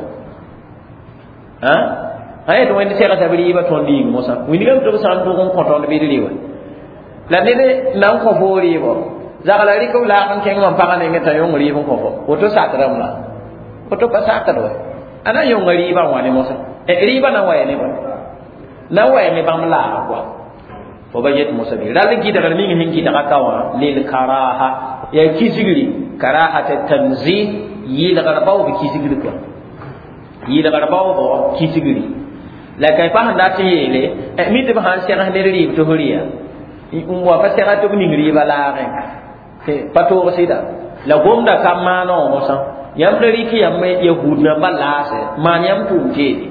sã yetɩ wẽnd segsa b rɩɩbã tõnd yĩng mosã wilgame tɩ b sã n tʋg n kõ tõnd bɩ d rɩ la ned na n kõ foo rɩɩbɔ zagla rɩk b laag n kẽng mam pagã nengẽ t'a yõng rɩɩb n kõ fo woto sakrame la woto pa sakd wa a na n yõnga rɩɩbã n wa ne mosã rɩɩbã na n wa ya ne bõe na n wa ya ne bãmb laaga koa fo ba yet mosa bɩ rall gɩdgr ning sẽn gɩdga ka wã lil karaha yaa kisgri karahata tanzih yɩlgr baoob kisgri koa yɩlgr baoobg kisgri la ka pa sẽn dat n yeele mi tɩ b sãn segs ned rɩɩb tɩ f rɩya n wa pa sega tɩ b ning rɩɩbã laagẽ pa toog sɩda la gomda ka maana wã mosã yãmb da rɩk yãmb yahud nambã laase maan yãmb tʋʋm teede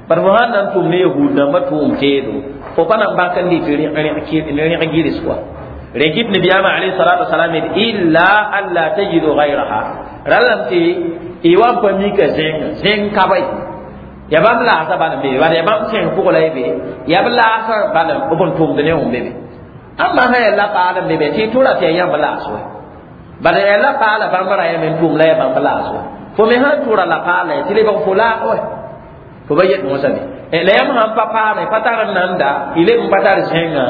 bar fo sãn na n tʋm ne yahud nambã tʋʋm teedo fo pa na n bãk n dɩt rẽg gɩrs kɔa rẽ kɩt nabiyaamã alayhi salatu wasalam yet illa an la tajidu gayraha rallame tɩ y wa n pa mika zẽng zẽng ka ba ya bãmb laasã bal n be bala ya bãmb sẽng pʋg la y be ya b laasã bal b n tʋmd ne wẽn be be ãmba sã yaa la paal n be be tɩ tʋra tɩ yaa yãmb laas wɛ bala yaa la paala bãmb ra yame n tʋm la yaa bãmb laas wɛ fo me sãn tʋra la paala tɩ lebg fo laag wɛ fo ba yet mosã be la yãmb sãn pa paame pa tar n nanda y leb n pa tar zẽngã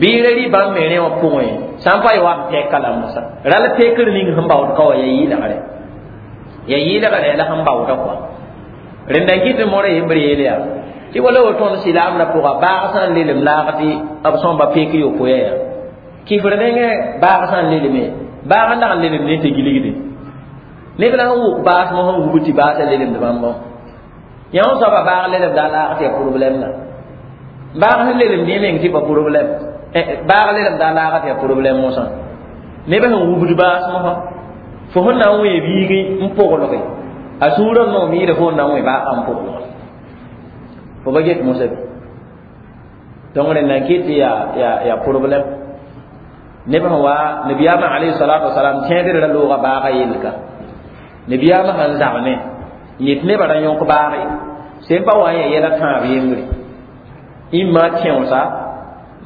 bɩ ra rɩ bãmb me rẽ wã pʋgẽ sã n pa y wa n pɛka la mosã rall pekr ning sẽn baood ka wã yaa yɩɩlgre yaa yɩɩlgre la sẽn baooda kɔa rẽnda n kɩt modã yembr yeel yaa tɩ wala woto tõnd silaamdã pʋga baag sã n lelem laag tɩ b sõmba pek yopoe yaa kifr nengẽ baag sã n leleme baag n dag n lelemd ne tɩ gilgde neb la sẽn wʋk baas mosã n wubd tɩ baasã lelemd bãmbã yã wã soaba baag lelemda a laag tɩ ya problème la baag sẽn lelemd yẽ meng tɩ pa problème baag lelemda a laag tɩ ya problème mosã neb sẽn wubd baas mosã fo sẽn na n wẽ biig n pʋglge a sũurã n noom yɩɩda fo n na n wẽ baagã n pʋglge fo ba get mosã bɩ donc rẽnd n kɩt tɩ yaa yaa yaa problème neb sẽn wa nabiyaamã alayhi salatu wasalam tẽedr ra looga baaga yelka nabiyaamã sãn zagne n yet nebã ra yõk baage sẽn pa wa n yaa yɛla tãab yembre imma tẽosa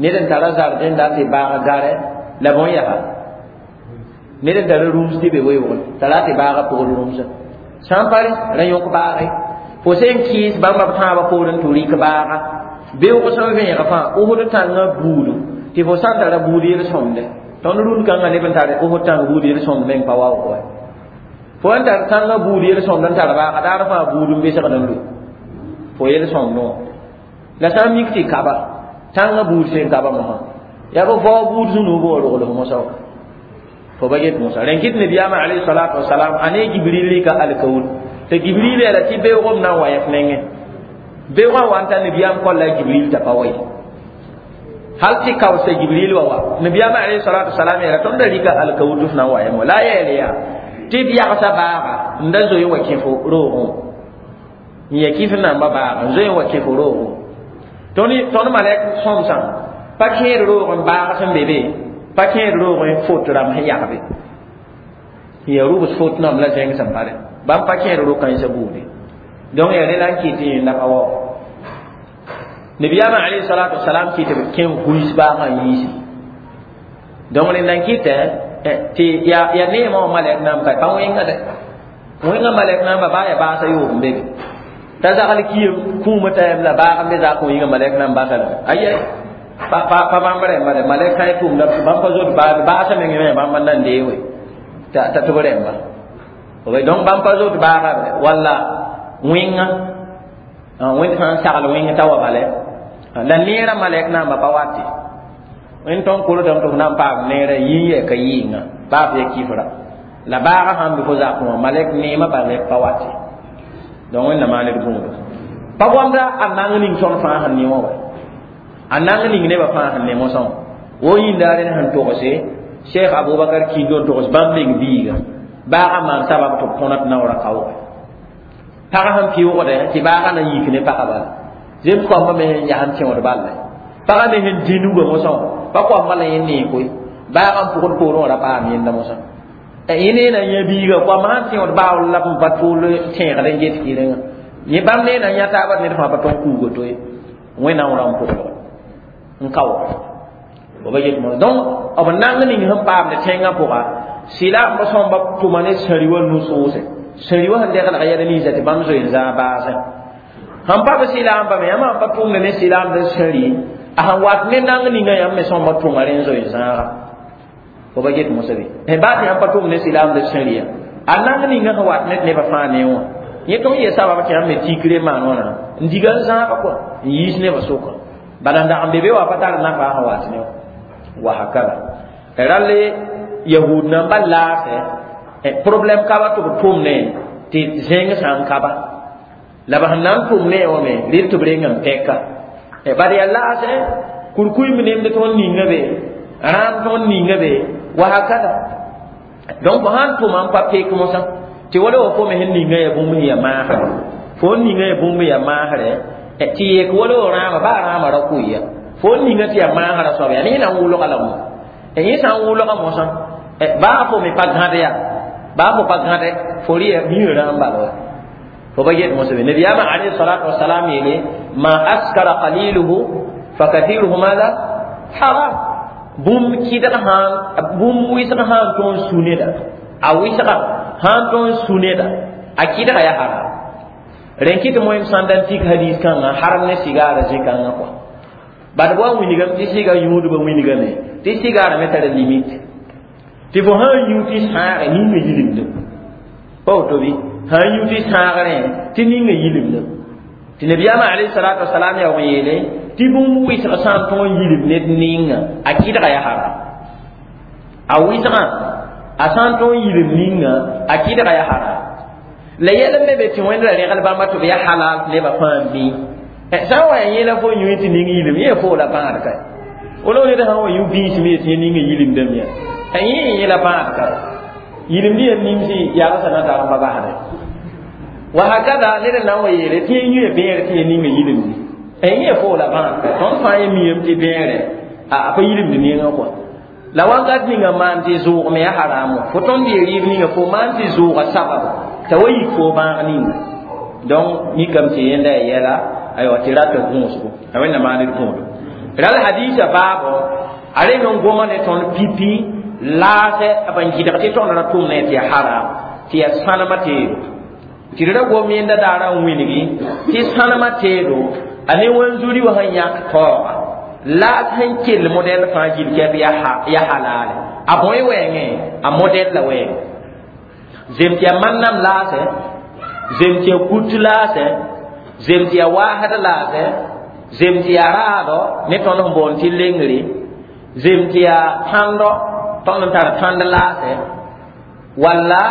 ned n tara zardẽ dat tɩ baag garɛ la bõe yaa ned n tara rũms tɩ be weoogẽ t'a ra tɩ baaga pʋgd rũmsã sã n pa rẽ ra yõk baage fo sẽn kɩɩs bãmba b tãabã poorẽ tɩ rɩk baaga beoog sẽn vẽeg fãa Osd tãngã buudu tɩ fo sã n tara buud yel-sõmde tõnd rũnd kãngã neb n tar Osd tãng buud yel-sõmd meng pa waoog wa fo n tar tãngã buud yel-sõmd n tar baaga daar fãa buud n besgd n lu fo yel-sõmdẽ wã la sã n mik tɩ kaba tãngã buud sẽn kaba mosã yaa b vao buud zũnuub wã rogls mosã wã fo ba get mosã rẽn kɩt nabiyaamã alayhi salatu wasalam a ne Jibril rɩka alkaul tɩ Jibril yeela tɩ beoogem na n wa yɛf nengẽ beoogã wa n ta nabiyaam kolla Jibril t'a pa wa ye hal tɩ kaoosa Jibril wa wa nabiyaamã alayhi salatu wasalam yeela tõnd da rɩka alkaul tɩ f na n wa yam wa la a yeele yaa tɩ b yagsa baaga n da zoe n wa kẽ fo roogẽ n ya kɩf namba baaga n zoe n wa kẽ fo roogẽ tõnd malɛk sõmsã pa kẽed roogẽ baag sẽn be be pa kẽed roogẽ fot rãmb sẽn yagbe n ya rubs fot namb la zẽng sẽn pare bãmb pa kẽed ro-kãensã buude donc yaa rẽ la n kɩt tɩ yẽnda pa waoog nabiyaamã alayhi salatu wasalam kɩt b kẽ huis baagã n yiisi donc rẽnda n kɩtɛ tɩ yaa neemã wã malɛk namb ka pa wẽnga dɛ wẽnga malɛk namba baa yaa baasã yoob n be be t'a zagl kiim kũumã t'a yam la baag n be zak wẽnga malɛk namb basa lame aya pa pa bãmb rẽmba dɛ malɛk sã n tʋmda bãmb pa zot baasã meng me bãmb n na n deewe t'a tɩ b rẽmba donc bãmb pa zot baaga walla wẽnga wẽnd sã n sagl wẽng t'a wa bala la neerã malɛk namba pa wate wẽnd tõnd koltame tɩ f na n paam neerã yĩn yɛ ka yɩɩnga baa f ya kifra la baaga sãn be fo zakẽ wã malɛk neemã balɛk pa wate donc wẽnna maan d gũudo Pa goamda a nang ning tõnd fãa sẽn ne wã wa a nang ning nebã fãa sẽn ne mosã wo yĩnda rẽnd sẽn togse cheikh abubakar kindo n togs bãmb meng biiga baagã maan sabab tɩ b tõna tɩ naoora kaoogẽ pagã sẽn pɩʋʋgdɛ tɩ baagã na yik ne pagã bala zems koambã me sẽn yaa n tẽod balla pagã me sẽn dĩ nugã mosã pa koambã la yẽ nee koe baagã n pʋgd poorẽ wã ra paam yẽnda mosã yẽ nee na yã biiga koambã sãn tẽod baool la b pa tʋʋl tẽegd n get kɩrengã yẽ bãmb nee na yã taaba ned fãa pa tõn kuuga to ye wẽnnaam ra n pʋgdg n kaoog b yet mo donc b nang ning sẽn paamd tẽngã pʋga sɩla b sõmba tʋma ne sãri wa nu-soose sãri wa sẽn deglg yɛl ninsa tɩ bãmb zoe n zãag baasẽ sẽn pa b sɩlaamba me yãmb sãn pa tʋmd ne sɩlaamd sãri a sẽn wat ne nang ninga yãmb me sõmba tʋma rẽ n zoe n zãaga fo ba get mosã be baa tɩ yãmb pa tʋmd ne sɩlaamd sãri ya a nang ninga sẽn wat ne nebã fãa ne wã yẽ tõnd yee sabab tɩ yãmb me tikre maan wãna n diga n zãaga kɔa n yiis nebã sʋka bala n dag n be be wa pa tar nafa sẽn wat ne wã wahakada rale yahud namba laase problème kaba tɩ b tʋmne tɩ zẽng sã n kaba la b sẽn na n tʋm ne wã me rɩl tɩ b reng n pɛka bad yaa laase kurkuy me nemd tõnd ninga be rãam tõnd ninga be wahakada donc sãn tʋma n pa pek mosã tɩ wala wa fo me sẽn ninga ya bũmb sẽn ya maasre fo n ninga ya bũmb ya maasrɛ tɩ yek wala wa rãama baa rãama ra kʋɩ fo n ninga tɩ yaa maasrã soaba yaa ne na n wʋlga la mo yẽ sã n wʋlga mosã baa fo me pa gãd ya baa fo pa gãde fo rɩ ya miã rãam bala wa fo ba get mosã be nabiyaamã alayhi salatu wasalam yeele ma askara qaliluhu fa kathiruhu madha haram bũmb kɩdg sãn bũmb wɩsg sãn tõnd su neda a wɩsga sãn tõnd su neda a kɩdga yaa haram rẽn kɩ tɩ moem sãn da n tik hadis kãngã haram ne sigaara zĩ-kãngã kɔa bad wa wilgame tɩ sɩga yũudbã wilgame tɩ sigaara me tara limite tɩ fo sãn yũ tɩ sãage ninga yilimdem pa woto bɩ sãn yũ tɩ sãagrẽ tɩ ninga yilimdem tɩ nabiyaamã alayhi salatu wasalam yaa n yeele tɩ bũmb wɩsg sã n tõog n yilim ned ninga a kɩdga yaa haram a wɩsgã a sã n tõog n yilim ninga a kɩdga yaa haram la yɛl n me be tɩ wẽnd ra regl bãmba tɩ b yaa halal tɩ nebã fãa n bɩ sã n wa yaa yẽla fo yũ tɩ ning yilim yẽ fo la bãad ka wala ned sã n wa yũ bĩis me tɩ yẽ ninga yilimdame ya yẽ yẽla bãad ka yilimd yã nimsi yagsã na tar n pa basde wa hakada ned n na n wa yeele tɩ yẽ yũ bẽere tɩ yẽ ninga yilimdi yẽ fo la bãad ka tõnd fãa yẽ miyame tɩ bẽere a pa yilimd nengã kɔa la wakat ninga maan tɩ zʋʋg me yaa haramo fo tõnd yee rɩɩb ninga fo maan tɩ zʋʋga sabab t'a wa yik fo bãag ninga donc mikame tɩ yẽnda ya yɛla aywa tɩ rata gũusgo a wẽnna maan d gũudo ral hadisa baabo a reng n goma ne tõnd pipi laasɛ b n gɩdg tɩ tõnd ra tʋm ne tɩ ya haram tɩ ya sãnema teedo tɩ d ra gom yẽnda daara n wilgi tɩ sãnema teedo a ne wanzuri wã sẽn yãk taooga laas sẽn kell modɛl fãa gil kɛp ya halale a bõe wɛɛngẽ a modɛl la wɛɛngẽ zem tɩ ya mannam laasɛ zem tɩ ya kut laasɛ zem tɩ ya waasd laasɛ zem tɩ ya raadɔ ne tõnd sẽn boond tɩ lengre zem tɩ ya tãndɔ tõnd n tar tãnd laasɛ walla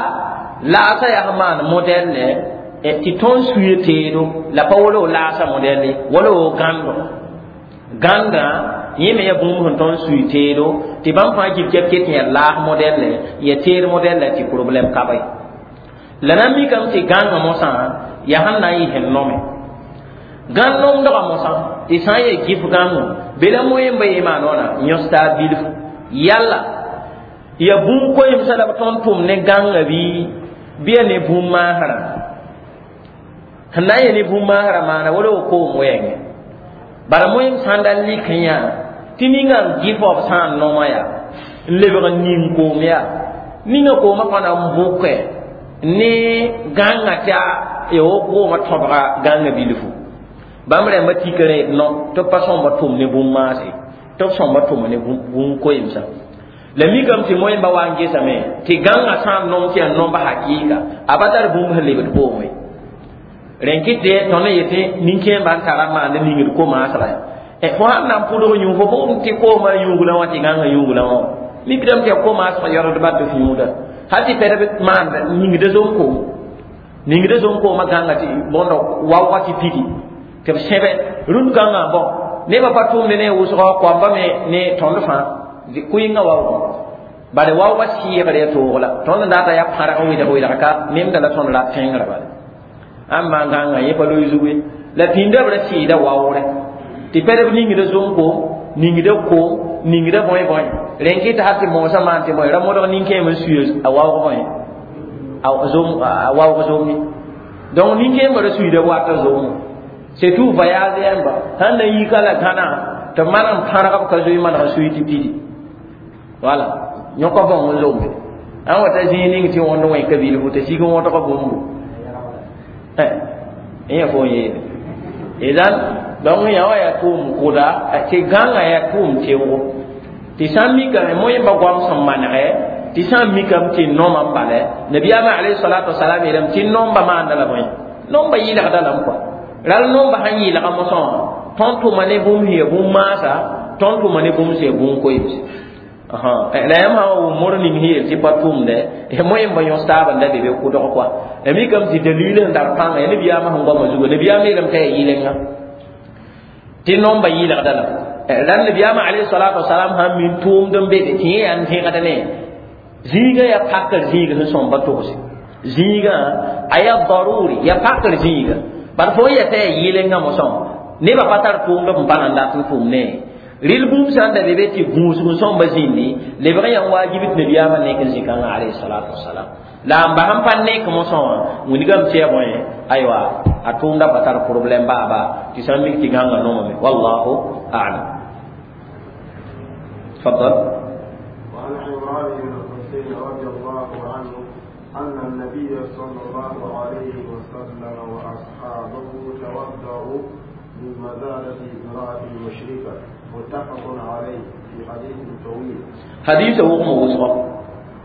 laasã yaa sẽn maan modɛlle tɩ tõnd suye teedo la pa wala laasã modɛlle wala wo gãndo gãndã yẽ me yaa bũmb sẽn tõnd sui teedo tɩ bãmb fãa gil kɛp ket yaa laas modɛlle ya teed modɛlle tɩ problɛm ka ba ye la na mikame tɩ gãngã mosã yaa sẽn na n yɩ sẽn nome gãn nomdgã mosã tɩ sã n yaa gif gãngo be la moẽmba yẽ maan wãna yõs-taab bilfu yalla ya bũmb koemsã la b tõnd tʋm ne gãngã bɩ bɩ ya ne bũmb maasrã sẽn na n yɛ ne bũmb maasrã maana wala wo koom wɛɛngẽ bara moẽm sãn da lik n yã tɩ ninga n gɩf b sã n noma yaa n lebg n ning koom yaa ninga koomã pa na n bʋkɛ ne gãngã tɩ ya wo koomã tõbga gãngã bilfu bãmb rãmbã tika rẽ no tɩ b pa sõmba tʋm ne bũmb maase tɩ b sõmba tʋma ne bũmb koemsã la mikame tɩ moẽmba wa n gesame tɩ gãngã sã n nom tɩ yaa nomba hakɩɩka a pa tar bũmb sẽn lebd koome rẽn kɩtɩ tõnd n yetɩ nin-kẽembã n tara n maand ningd ko-maasga ya fo sãn na n pʋdg yũ fo bʋgd tɩ koomã yũuglã wã tɩ gãngã yũuglã wã mikdame tɩ yaa ko-maasg yaoodba tɩ f yũuda hal tɩ pɛdb maand ningda zom-koom ningda zom-koomã gãnga tɩ bõndo waoogã tɩ pigi Tɩ b sẽbe rũnd kãngã bõ nebã pa tʋʋmd ne wʋsgã koamba me ne tõnd fãa kʋɩngã waoogẽ bala waoogã sɩɩgr ya toog la tõnd n dat yaa pãrg n wɩdg wɩdg ka nemda la tõnd rat tẽngrã bala ãn maan gãngã yẽ pa loe zugu ye la pĩndã b ra sɩɩda waoogre tɩ pɛdb ningda zom-koom ningda koom ningda bõe bõe rẽn kɩ tɩ hal tɩ moosã maan tɩ bõe ra modg nin-kẽem n suye a waoog bõe a zom a waoog zom ye donc nin-kẽembã ra suyda wata zomã c'est tout voyage yãmba sãn na yika la gãna tɩ maneg n pãrg b ka zoe maneg n sui tɩ pidi wala yõka bãong n zombe ãn wa ta zĩig ning tɩ wõnd wẽ ka bilfu tɩ sig n wõdg bũmbu yẽ fo n yeele idan donc yã wa yaa tʋʋm kʋda tɩ gãngã yaa tʋʋm tɩʋgo tɩ sã n mikame moẽmba goam sẽn manegɛ tɩ sã n mikame tɩ nomã n balɛ nabiyaamã alayhi salatu wasalam yeelame tɩ nomba maanda la bõe nomba yɩlgda lame kɔa ral nomba sãn yɩlga mosã wã tõnd tʋma ne bũmb sẽn ya bũmb maasa tõnd tʋma ne bũmb sẽn ya bũmb koeemse la yãmb sã wa wʋm mor ning sẽn yeel tɩ pa tʋʋmdɛ moẽmba yõs taaba n da be be kʋdg kɔa la mikame tɩ dalil sẽn tar pãnga ya nabiyaamã sẽn goamã zugu nabiyaam yeelame t'a yaa yɩlenga tɩ nomba yɩlgda la la nabiyaamã alayhi salatu wasalam sãn min tʋʋmd n bede tɩ yẽ yaa n tẽgd ne zĩigã yaa pakr zĩig sẽn sõmba togs zĩigã a yaa daruri yaa pakr zĩiga bad fo n yɛta yaa yɩlenga mosã nebã pa tar tʋʋmd b pa nan dat n tʋʋm ne rɩl bũmb sã n da be be tɩ gũusg n sõmba zĩndi lebg n yaa wajib tɩ nabiyaamã nek n zĩ-kãngã alayhi salatu wasalam la n bas n pa nek mosã wã wilgame tɩ yaa bõe aywa a tʋʋmda pa tar problème baaba tɩ sã n mik tɩ gãngã nomame wallahu a'lam تفضل. وعن عمران بن حسين رضي الله عنه أن النبي صلى الله عليه وسلم وأصحابه توضأوا من مزادة امرأة مشركة متفق عليه في حديث طويل. حديث وقم وسقى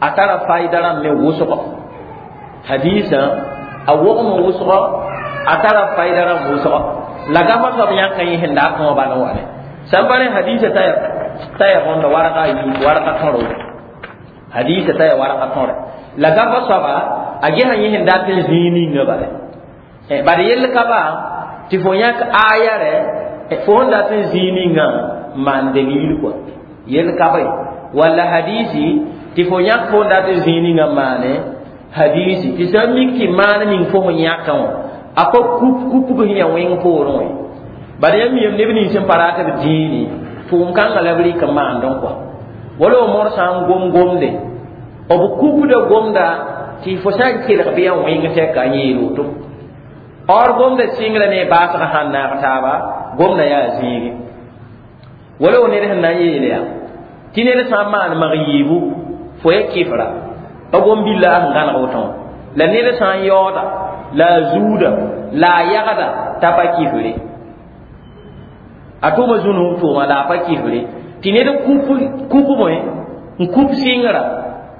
أترى فايدة من وسقى حديثا أوقم وسقى أترى فايدة من وسقى لقد صبيان كان يهند أكما بانوانه سنبالي حديث تاير تاير هون ورقة ورقة تورو حديث تاير ورقة تورو la gaba soaba a ges yẽ sẽn dat n zĩig ninga bala bad yell ka ba tɩ fo yãk aya rɛ fo sẽn dat n zĩig ninga n maan dalil kɔa yell ka ba ye walla hadisi tɩ fo yãk fo n dat n zĩig ninga n maane hadisi tɩ sã n mik tɩ maan ning fo sẽn yãkã wã a pa kup kupg sẽn yaa wẽng poorẽ wã ye bad yãmb yem neb nins sẽn pa rat b dĩini tʋʋm kãngã la b rɩk n maandẽ kɔa wala mor sã n gom gomde b kupda gomda tɩ fo sã n kelg bɩ yaa wẽng tɛka a yeel woto or gomda sɩngrã ne baasgã sãn naag taaba gomda yaa zĩige wala wo ned sẽn na n yeele yaa tɩ ned sã n maan mag yiibu fo ya kɩfra pa gom-billa sẽn gãneg woto wã la ned sã n yaooda la a zuuda la a yagda t'a pa kifre a tʋma zũnug tʋʋma la a pa kifre tɩ ned kup bõe n kup sɩngrã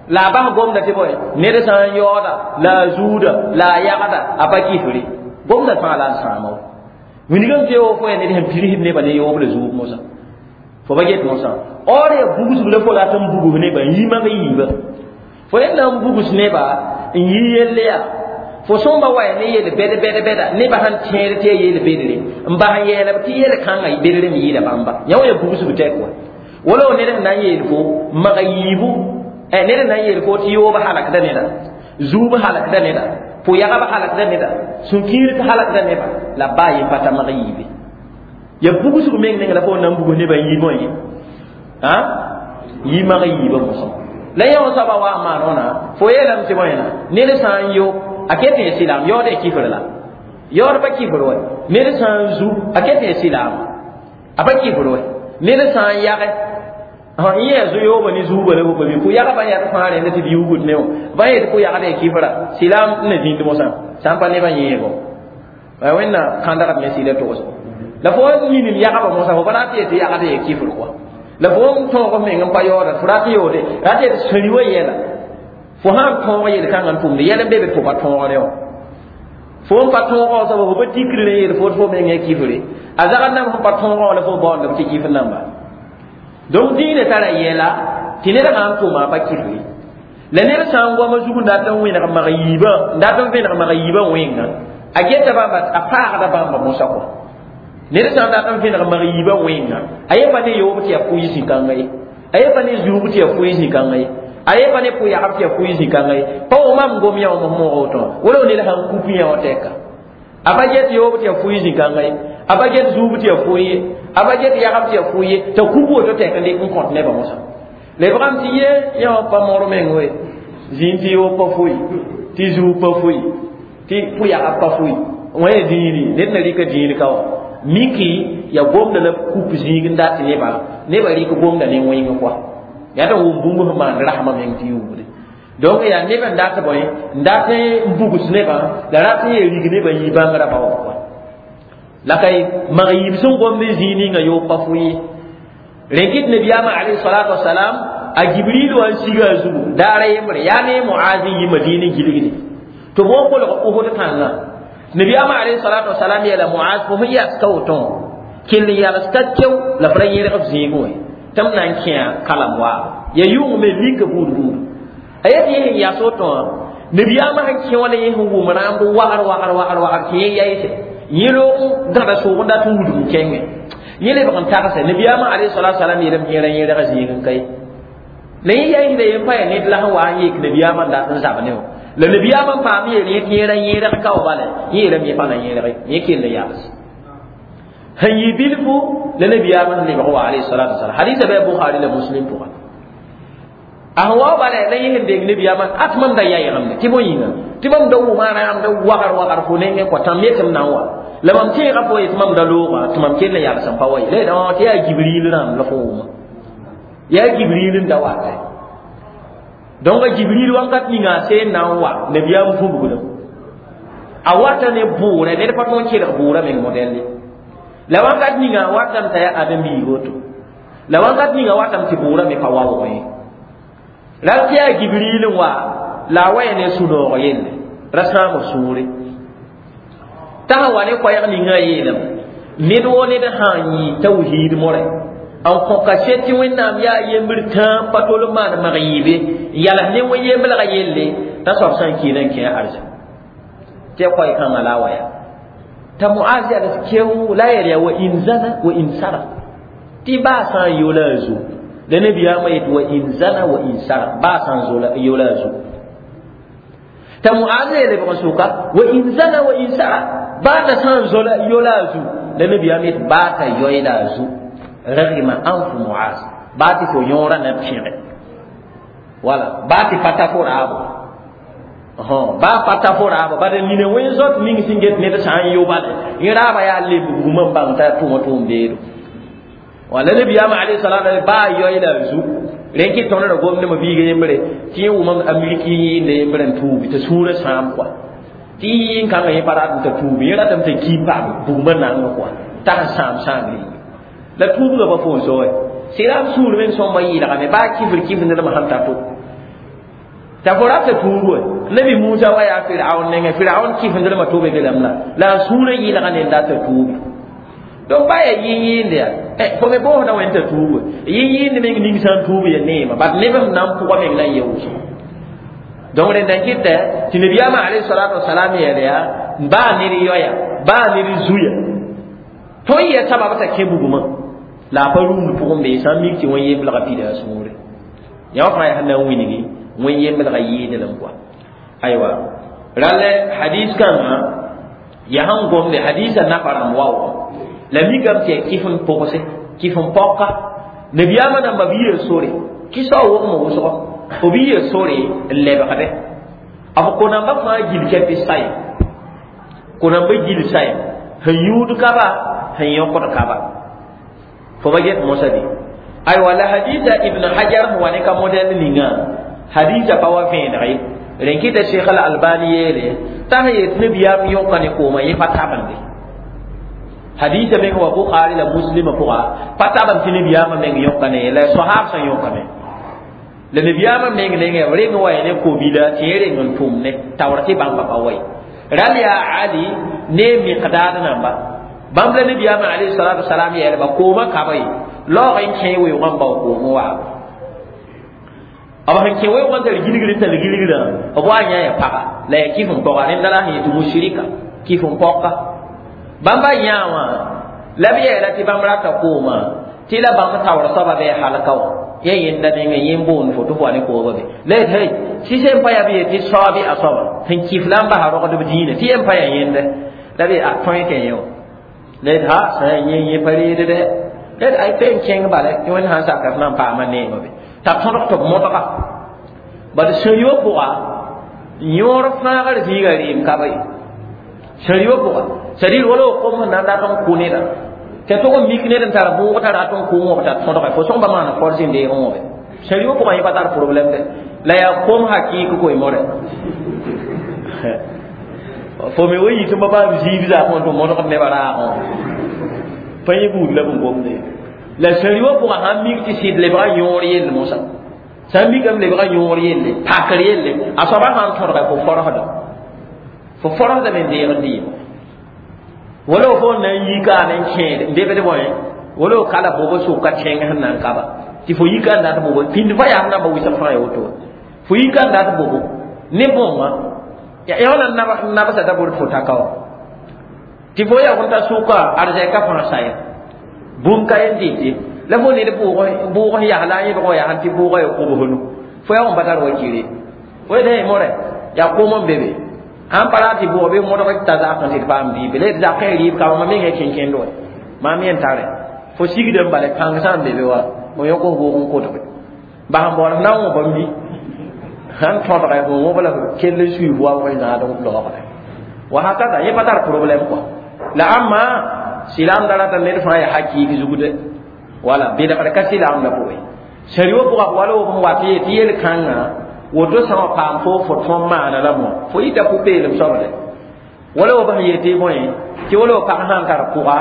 la a bas gomda tɩ bõe ned sã n yaooda la a zuuda la a yagda a pa kifre gomda fãa la n sãama wa wilgame tɩ fo yaa ned sẽn pirsd nebã ne yoob la zuub mosã fo pa get mosã or yaa bugsg la fo rat n bugs nebã n yi mag yiiba fo yẽ na n bugs neba n yi yelle yaa fo sõmba wa yaa ne yel bɛd bɛd bɛda nebã sãn tẽed tɩ yaa yel bedre n bas n yɛɛlb tɩ yel kãngã bedre me yɩɩda bãmba yã wã yaa bugsg tɛk wa wala ned sẽn na n yeel fo maga yiibu ned sẽn na n yeel fo tɩ yoob halakda neda zuub halakda neda pʋ-yagb halakda neda sũ-kiir halakda neba la baa yen pa ta mag yiibe ya bugsg meng neng la fo na n bugs nebã n yi bõe a yi mag yiibã mosã la yã wã soaba wa n maan wãna fo yeelame tɩ bõena ned sã n yo a ket n sɩlaam yaood ya kifr la yaood pa kifr wa ned sã n zu a ket n sɩlaam a pa kifr wa ned sã n yage n yẽ zu-yooba ne zuuba la pa bɩ pʋ-yagba yãt fãa rẽnd tɩ d yuugd ne wã ba yet pʋ-yagd ya kifra sɩlaam n na zĩnd mosã sã n pa nebã yẽego wẽnna kãndgd me sɩda togs la fo minim yagba mosã fo pa rat yetɩ yagd ya kifr kɔa la fo n tõog f meng n pa yaooda fo rat yoode rat yetɩ sũri wa yɛla fo sãn tõog yel-kãngã n tʋmde yɛl n be be tʋ pa tõogre wã fo n pa tõogã soaba fo pa tikr ne yeel fo fo meng ya kifre a zagd nam sẽn pa tõogã la fo baoondame tɩ kifr namba donc dĩinã tara yɛla tɩ ned sã n tʋma a pa kifre la ned sã n goama zug n dat n wẽneg mag yiibã n dat n vẽneg mag yiibã wẽnga a geta bãmba a paagda bãmba mosã kɔ Ned sã n dat n vẽneg mag yiibã wẽnga, a ye pa ne yoob tɩ yaa pʋɩ zĩ-kãnga ye, a ye pa ne zuub tɩ yaa pʋɩ zĩ-kãnga ye, a ye pa ne pʋ-yagb tɩ yaa pʋɩ zĩ-kãnga ye. Pa wʋm mam gom yã wã moog woto wala ned sãn kup yã wã tɛka, a pa get yoob tɩ yaa pʋɩ zĩ-kãnga ye, a pa get zuub tɩ yaa pʋɩ ye, a pa get yagb tɩ yaa pʋɩ ye, t'a kup woto tɛk n dɩk n kõt nebã mosã. Lebgame tɩ ye yã wã pa mor meng we zĩig tɩ yoob pa fʋɩ, tɩ zuub pa fʋɩ, tɩ pʋ-yagb pa fʋɩ. Wã ya dĩini, ned na rɩka dĩin ka wã miki ya gomda la kup zĩig n dat nebã, nebã rɩk gomda ne wẽng kɔa yaa tɩ wʋm bũmb sẽn maan rasmã meng tɩ yuubde. Donc yaa neb n dat bõe n dat n bugs nebã la rat n yaa rig nebã yɩ bãngrã ba wã pʋgã. La ka mag yiib sẽn gomd n zĩig ninga yoob pa fʋɩ ye. Rẽn kɩt nabiyaamã alayhi salatu wasalam a Jibril wa n siga a zugu daara yembre yaa ne Moaz n yi Madina n gilgde tɩ b wa kolg Uhud tãngã. Nabiyaamã alayhi salatu wasalam yeela Moaz fo sẽn yas ka woto kell n yals ka keo la f ra yẽrg f zĩigẽ wã tɩ m na n kẽa kalam waaba ya yʋng me lika buud buud a yet yẽ sẽn yas woto wã. Nabiyaamã sẽn kẽ wã la yẽ sẽn wʋm rãmb wagr wagr wagr wagr tɩ yẽ yayse yẽ loog gãda soog n dat n wudg n kẽngẽ yẽ lebg n tagse. Nabiyaamã alayhi salatu wasalam yeelame tɩ yẽ ra yẽrga zĩig n ka ye la yẽ yaisda yen pa yaa ned la sẽn wa n yek nabiyaamã n dat n zab ne wã. La nabiyaamã n paam yeel yẽ tɩ yẽ ra yẽrg ka wa bala yẽ yeelame yẽ pa na yẽrge yẽ kell n yals sẽn yɩ bilfu la nabiyaamã sẽn lebg wa alayhi salatu wasalam. Hadisa bɩ Bukhari la Muslim pʋga. A sẽn wa bala la yẽ sẽn deng nabiyaamã at mam da yaɩgemde tɩ bõe yĩnga tɩ mam da wʋma rãamda wagr wagr fo nengẽ kɔa tãm yetɩ m na n wa la mam tẽega fo yetɩ mam da looga tɩ mam kell n yals n pa wa ye la tɩ yaa Jibril rãmb la fo wʋma yaa Jibril n da wata. Donc Jibril wãnkat ninga a seen na n wa nabiyaam vũbgdem a wata ne bʋʋrɛ ned pa tõe n kelg bʋʋrã meng modɛlle la wãnkat ninga a watame t'a yaa ãdem-biig woto la wãnkat ninga a watame tɩ bʋʋrã me pa waoog ye. La tɩ yaa Jibril n wa la a wa ya ne sũ-noog yelle ra sãam b sũure t'a sẽn wa ne koɛɛg ninga a yeelame ned woo ned sã n yɩ tawhiid morɛ n kõ kaset tɩ Wẽnnaam yaa yembr tãa pa tol n maan mag yiibe n yals ne wẽn-yemblgã yelle t'a soab sã n kiina n kẽ arzã tɩ ya koɛɛ-kãngã la a wa yaa t'a Moaz yals keo la a yel yaa wa in zana wa in sara tɩ baa sã n yola a zu la nabiyaamã yet wa in zana wa in sara baa sã n yola a zu t'a Moaz yeele bg n sʋka wa in zana wa in sara baa t'a sã n yola a zu la nabiyaamã yet baa t'a yoeela a zu ragima anfu Muaz baa tɩ fo yõorã na pẽge wala baa tɩ pa ta fo raabo baa pa ta fo raabo bad nina wẽn zot ning sẽn get ned sã n yo bale yẽ raaba yaa leb bugmã n bãng t'a tʋma tʋʋm beedo wala nabiyaamã alayhi salam baa yoeela a zu rẽn kɩ tõnd ra gomdmã biiga yembre tɩ yẽ wʋmam Ameriki yɩɩnda yembre n tuubi t'a sũurã sãam kɔa tɩ yɩ n kãngã yẽ pa ratame t'a tuubi yẽ ratame t'a ki paam bugmã nanga kɔa t'a sẽn sãam sãam rĩnga la tuubgã pa fo n soe sɩram sũur meng sõmba yɩɩlgame baa kifr kifr nedmã sẽn ta to t'a fo rata tuub we nabi Musa wa yaa Firaun nengẽ Firaun kifndrmã tobe belame la la a sũurã yɩɩlga ne n data tuubi. Donc baa yaa yɩ-yɩɩnd yaa fo me boosda wẽn t'a tuub we yɩ-yɩɩnd meng ning sã n tuub ya neema bat neb sẽn na n pʋga meng la n ye wʋsgo. Donc rẽnda n kɩtɛ tɩ nabiyaamã alayhi salatu wasalam yɛl yaa baa ned yoya baa ned zuya tõe n yaa sabab t'a kẽ bugmã la a pa rũmd pʋgẽ bee sã n mik tɩ wẽn-yemblgã pida a sũure yã wã fãa yaa sẽn na n wilgi wẽn-yemblgã yɩɩdlem kɔa. Aywa rall hadis kãngã yaa sẽn gomde hadisã nafa rãmb waoogã la mikame tɩ yaa kɩf n pʋgse kɩf n paoka nabiyaamã namba b yia sore kɩ-sao wogme wʋsgo b yia sore n lebgde b ko-nambã fãa gil kɛpɩ sayem ko-nambã gil sayem sẽn yũud kaba sẽn yõkd kaba fo ba get mosa de. Aywa la hadisa Ibn Hajar sẽn wa ne ka modɛl ninga hadisa pa wa vẽeneg ye rẽn kɩta Cheikh al Albani yeele t'a sẽn yet nabiyaam yõka ne koomã yẽ pa tabende hadisa meng wa Bukhari la Muslim pʋga pa tabend tɩ nabiyaamã meng yõka ne la soahaab sẽn yõkame la nabiyaamã meng nengẽ b reng wa ya ne ko-bila tɩ yẽ reng n tʋm ne taoor tɩ bãmba pa wa ye ral yaa Ali ne Miqdaad namba bãmb la nabiyaamã alayhi salatu wasalam yeelba koomã kaba ye laoog n kẽ weoogã n bao koomẽ waaba b sẽn kẽ weoogã n tar gilgr n tar gilgrã b wa yã ya paga la ya kɩf n paoga rẽnda la sẽn yetɩ mushrika kɩf n paoka bãmba yã wã La b yeela tɩ bãmb rata koomã tɩ la bãmb taoor soaba bɩ halka wã ya yẽnda nengẽ yẽ boond fo tɩ fo wa ne koobã be la yet hey tɩ sẽn pa yaa b yet tɩ saoab a soaba sẽn kɩf la n basa rogdb dĩinã tɩ yẽn pa yaa yẽnda la b a tõe tɩ yẽ wã la yet ha sã yaa yẽ yẽ pa reed dɛ la yet ay pe n kẽng bala tɩ wẽnd sãn saka f na n paama neemã be t'a tõdg tɩ b modga bad sũ-yõ pʋga yõor fãagr zĩiga rɩɩm ka ba ye sũ-yõ pʋga c'est-à-dire wala kom sẽn na n dat n kʋ neda tɩ tʋg n mik ned n tar bʋʋg t'a rat n kʋ wõb t'a tõdge fo sõng pa maana force n deeg wõbe sũ-yõ pʋga yẽ pa tar problème dɛ la yaa kom hakɩɩk koe-moore fo me wa yit n pa paam zĩig zaakẽ tɩ modgd nebã raagẽ pa yẽ buud la b n gomde la sũ-yõ pʋga sãn mik tɩ sɩd lebga yõor yell mosã sãn mikame lebga yõor yelle pakr yelle a soaba sãn tõdga fo forosda fo forosdame n deeg n dɩɩmo wala fo na n yika n kẽed n debd bõe wala kala bobo sʋka kẽng sẽn na n kaba tɩ fo yika n dat bobo pĩnd fa yaa namba wɩsg fãa ya woto fo yika n dat bobo ne bõnga ya wala nabsa da bor fo taka wa tɩ fo ya ta sʋka arzɛka fãa saya bũmb ka yen dɩte la fo ned bʋʋg sẽn yaa la a yẽbg wã yaa tɩ bʋʋgã ya kobsnu fo yaa n pa tar wakire fo yetɩ more yaa kom n be be sãn pa rat tɩ bʋʋg bɩ modg t'a zakẽ tɩ d paam dɩɩbe la d zakẽ rɩɩb ka mam mengã kẽnkẽnd wa maam yẽn tare fo sigd n bala pãng sã n be be wa fo yõk f bʋʋg n kotge bas n baool f na n wõ bãmb bi sãn tõdga fo wõb la kell n sui wa wẽ zãad n laoogda wa hakada yẽ pa tar problème quoi la ãmma silaamda rata ned fãa yaa hakɩɩk zugde wala bɩlgr ka silaamda pʋgẽ sẽn-yõ pʋga wala b n wat ye tɩ yel-kãngã woto sã wa paam fo fo tõm maana la mo fo yita pʋ-peelem soabde wala b sẽn yetɩ bõe tɩ wala pag sã n tar pʋga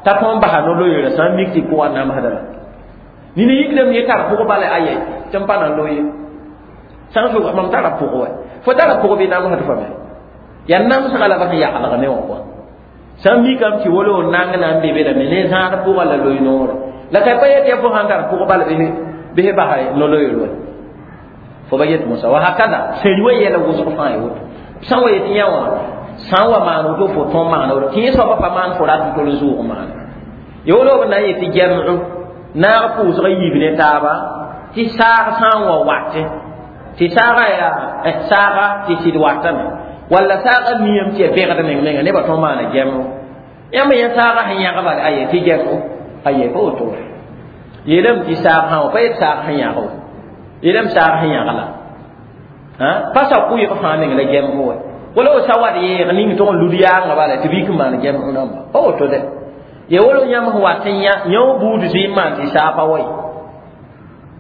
t'a tõm basa no-loeera sã n mik tɩ pʋgã namsda la nina yikdame ye tar pʋg bala aye tɩ n pa na loe sã n sʋka mam tara pʋg wa fo tara pʋg bɩ namsd fa me yaa namsga la b sẽn yaglg ne wã kɔa sã n mikame tɩ wala w nang na n be bedame ne zãad pʋga la loe noore la ka pa yet ya fo sãn tar pʋg bala bɩ basa no-loeer wa fo ba yet mosa wa hakada sẽn wa yɛla wʋsg fãa ya woto sã n wa yet yã wã sã n wa maan woto fo tõm maana woto tɩ yẽ soaba pa maan fo rat n tol n zʋʋg maana ya wala b na n yetɩ gɛmdo naag pʋʋsg yiib ne taaba tɩ saag sã n wa watẽ tɩ saaga yaa saaga tɩ sɩd watame walla saaga miyame tɩ ya bẽgd meng menga nebã tõm maana gɛmdo yãmb yẽ saaga sẽn yãg bala aye tɩ gɛmdo aye pa woto yeelame tɩ saag sã wa pa yet saag sẽn yãg wa yeelame saag sẽn yãg la pa sa kʋɩg fãa meng la gɛmdo wa wala w sa wat yeeg ning tʋg n lud yaangã bala tɩ bik n maan gɛmdo rãmba pa woto dɛ ya wala yãmb sẽn wat n yã yõ buud zɩɩm maan tɩ saa pa wa ye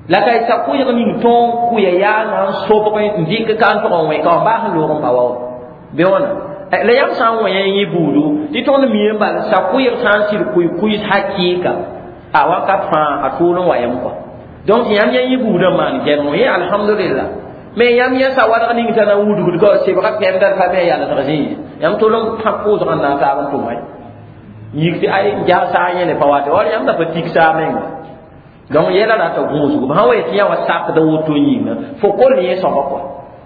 la ka sa kʋɩg ning tõog kʋya yaangã n sobg n dɩk ka n tʋg n wẽ ka wã baa sẽn loog n pa wa wa bɩ wãna la yãmb sã n wẽ yẽ buudu tɩ tõnd miime bala sa kʋɩg sã n sɩd kʋɩ-kʋɩs hakɩɩka a wakat fãa a tʋʋl n wa yam kɔa donc yãmb yã yẽ buudã maan gɛrmo yẽ alhamdulillah mais yãmb yã sa wadg ning t'a na n wudgd ka sebga pɛmda pa me yalsg zĩig yãmb tol n pãb pʋʋsg n na n taab n tʋma yik tɩ ay jas saa yẽne pa wate war yãmb da pa tik saa menga donc yɛla rata gũusgo sã wa yetɩ yã wa sakda woto yĩnga fo kol yẽ soaba kɔa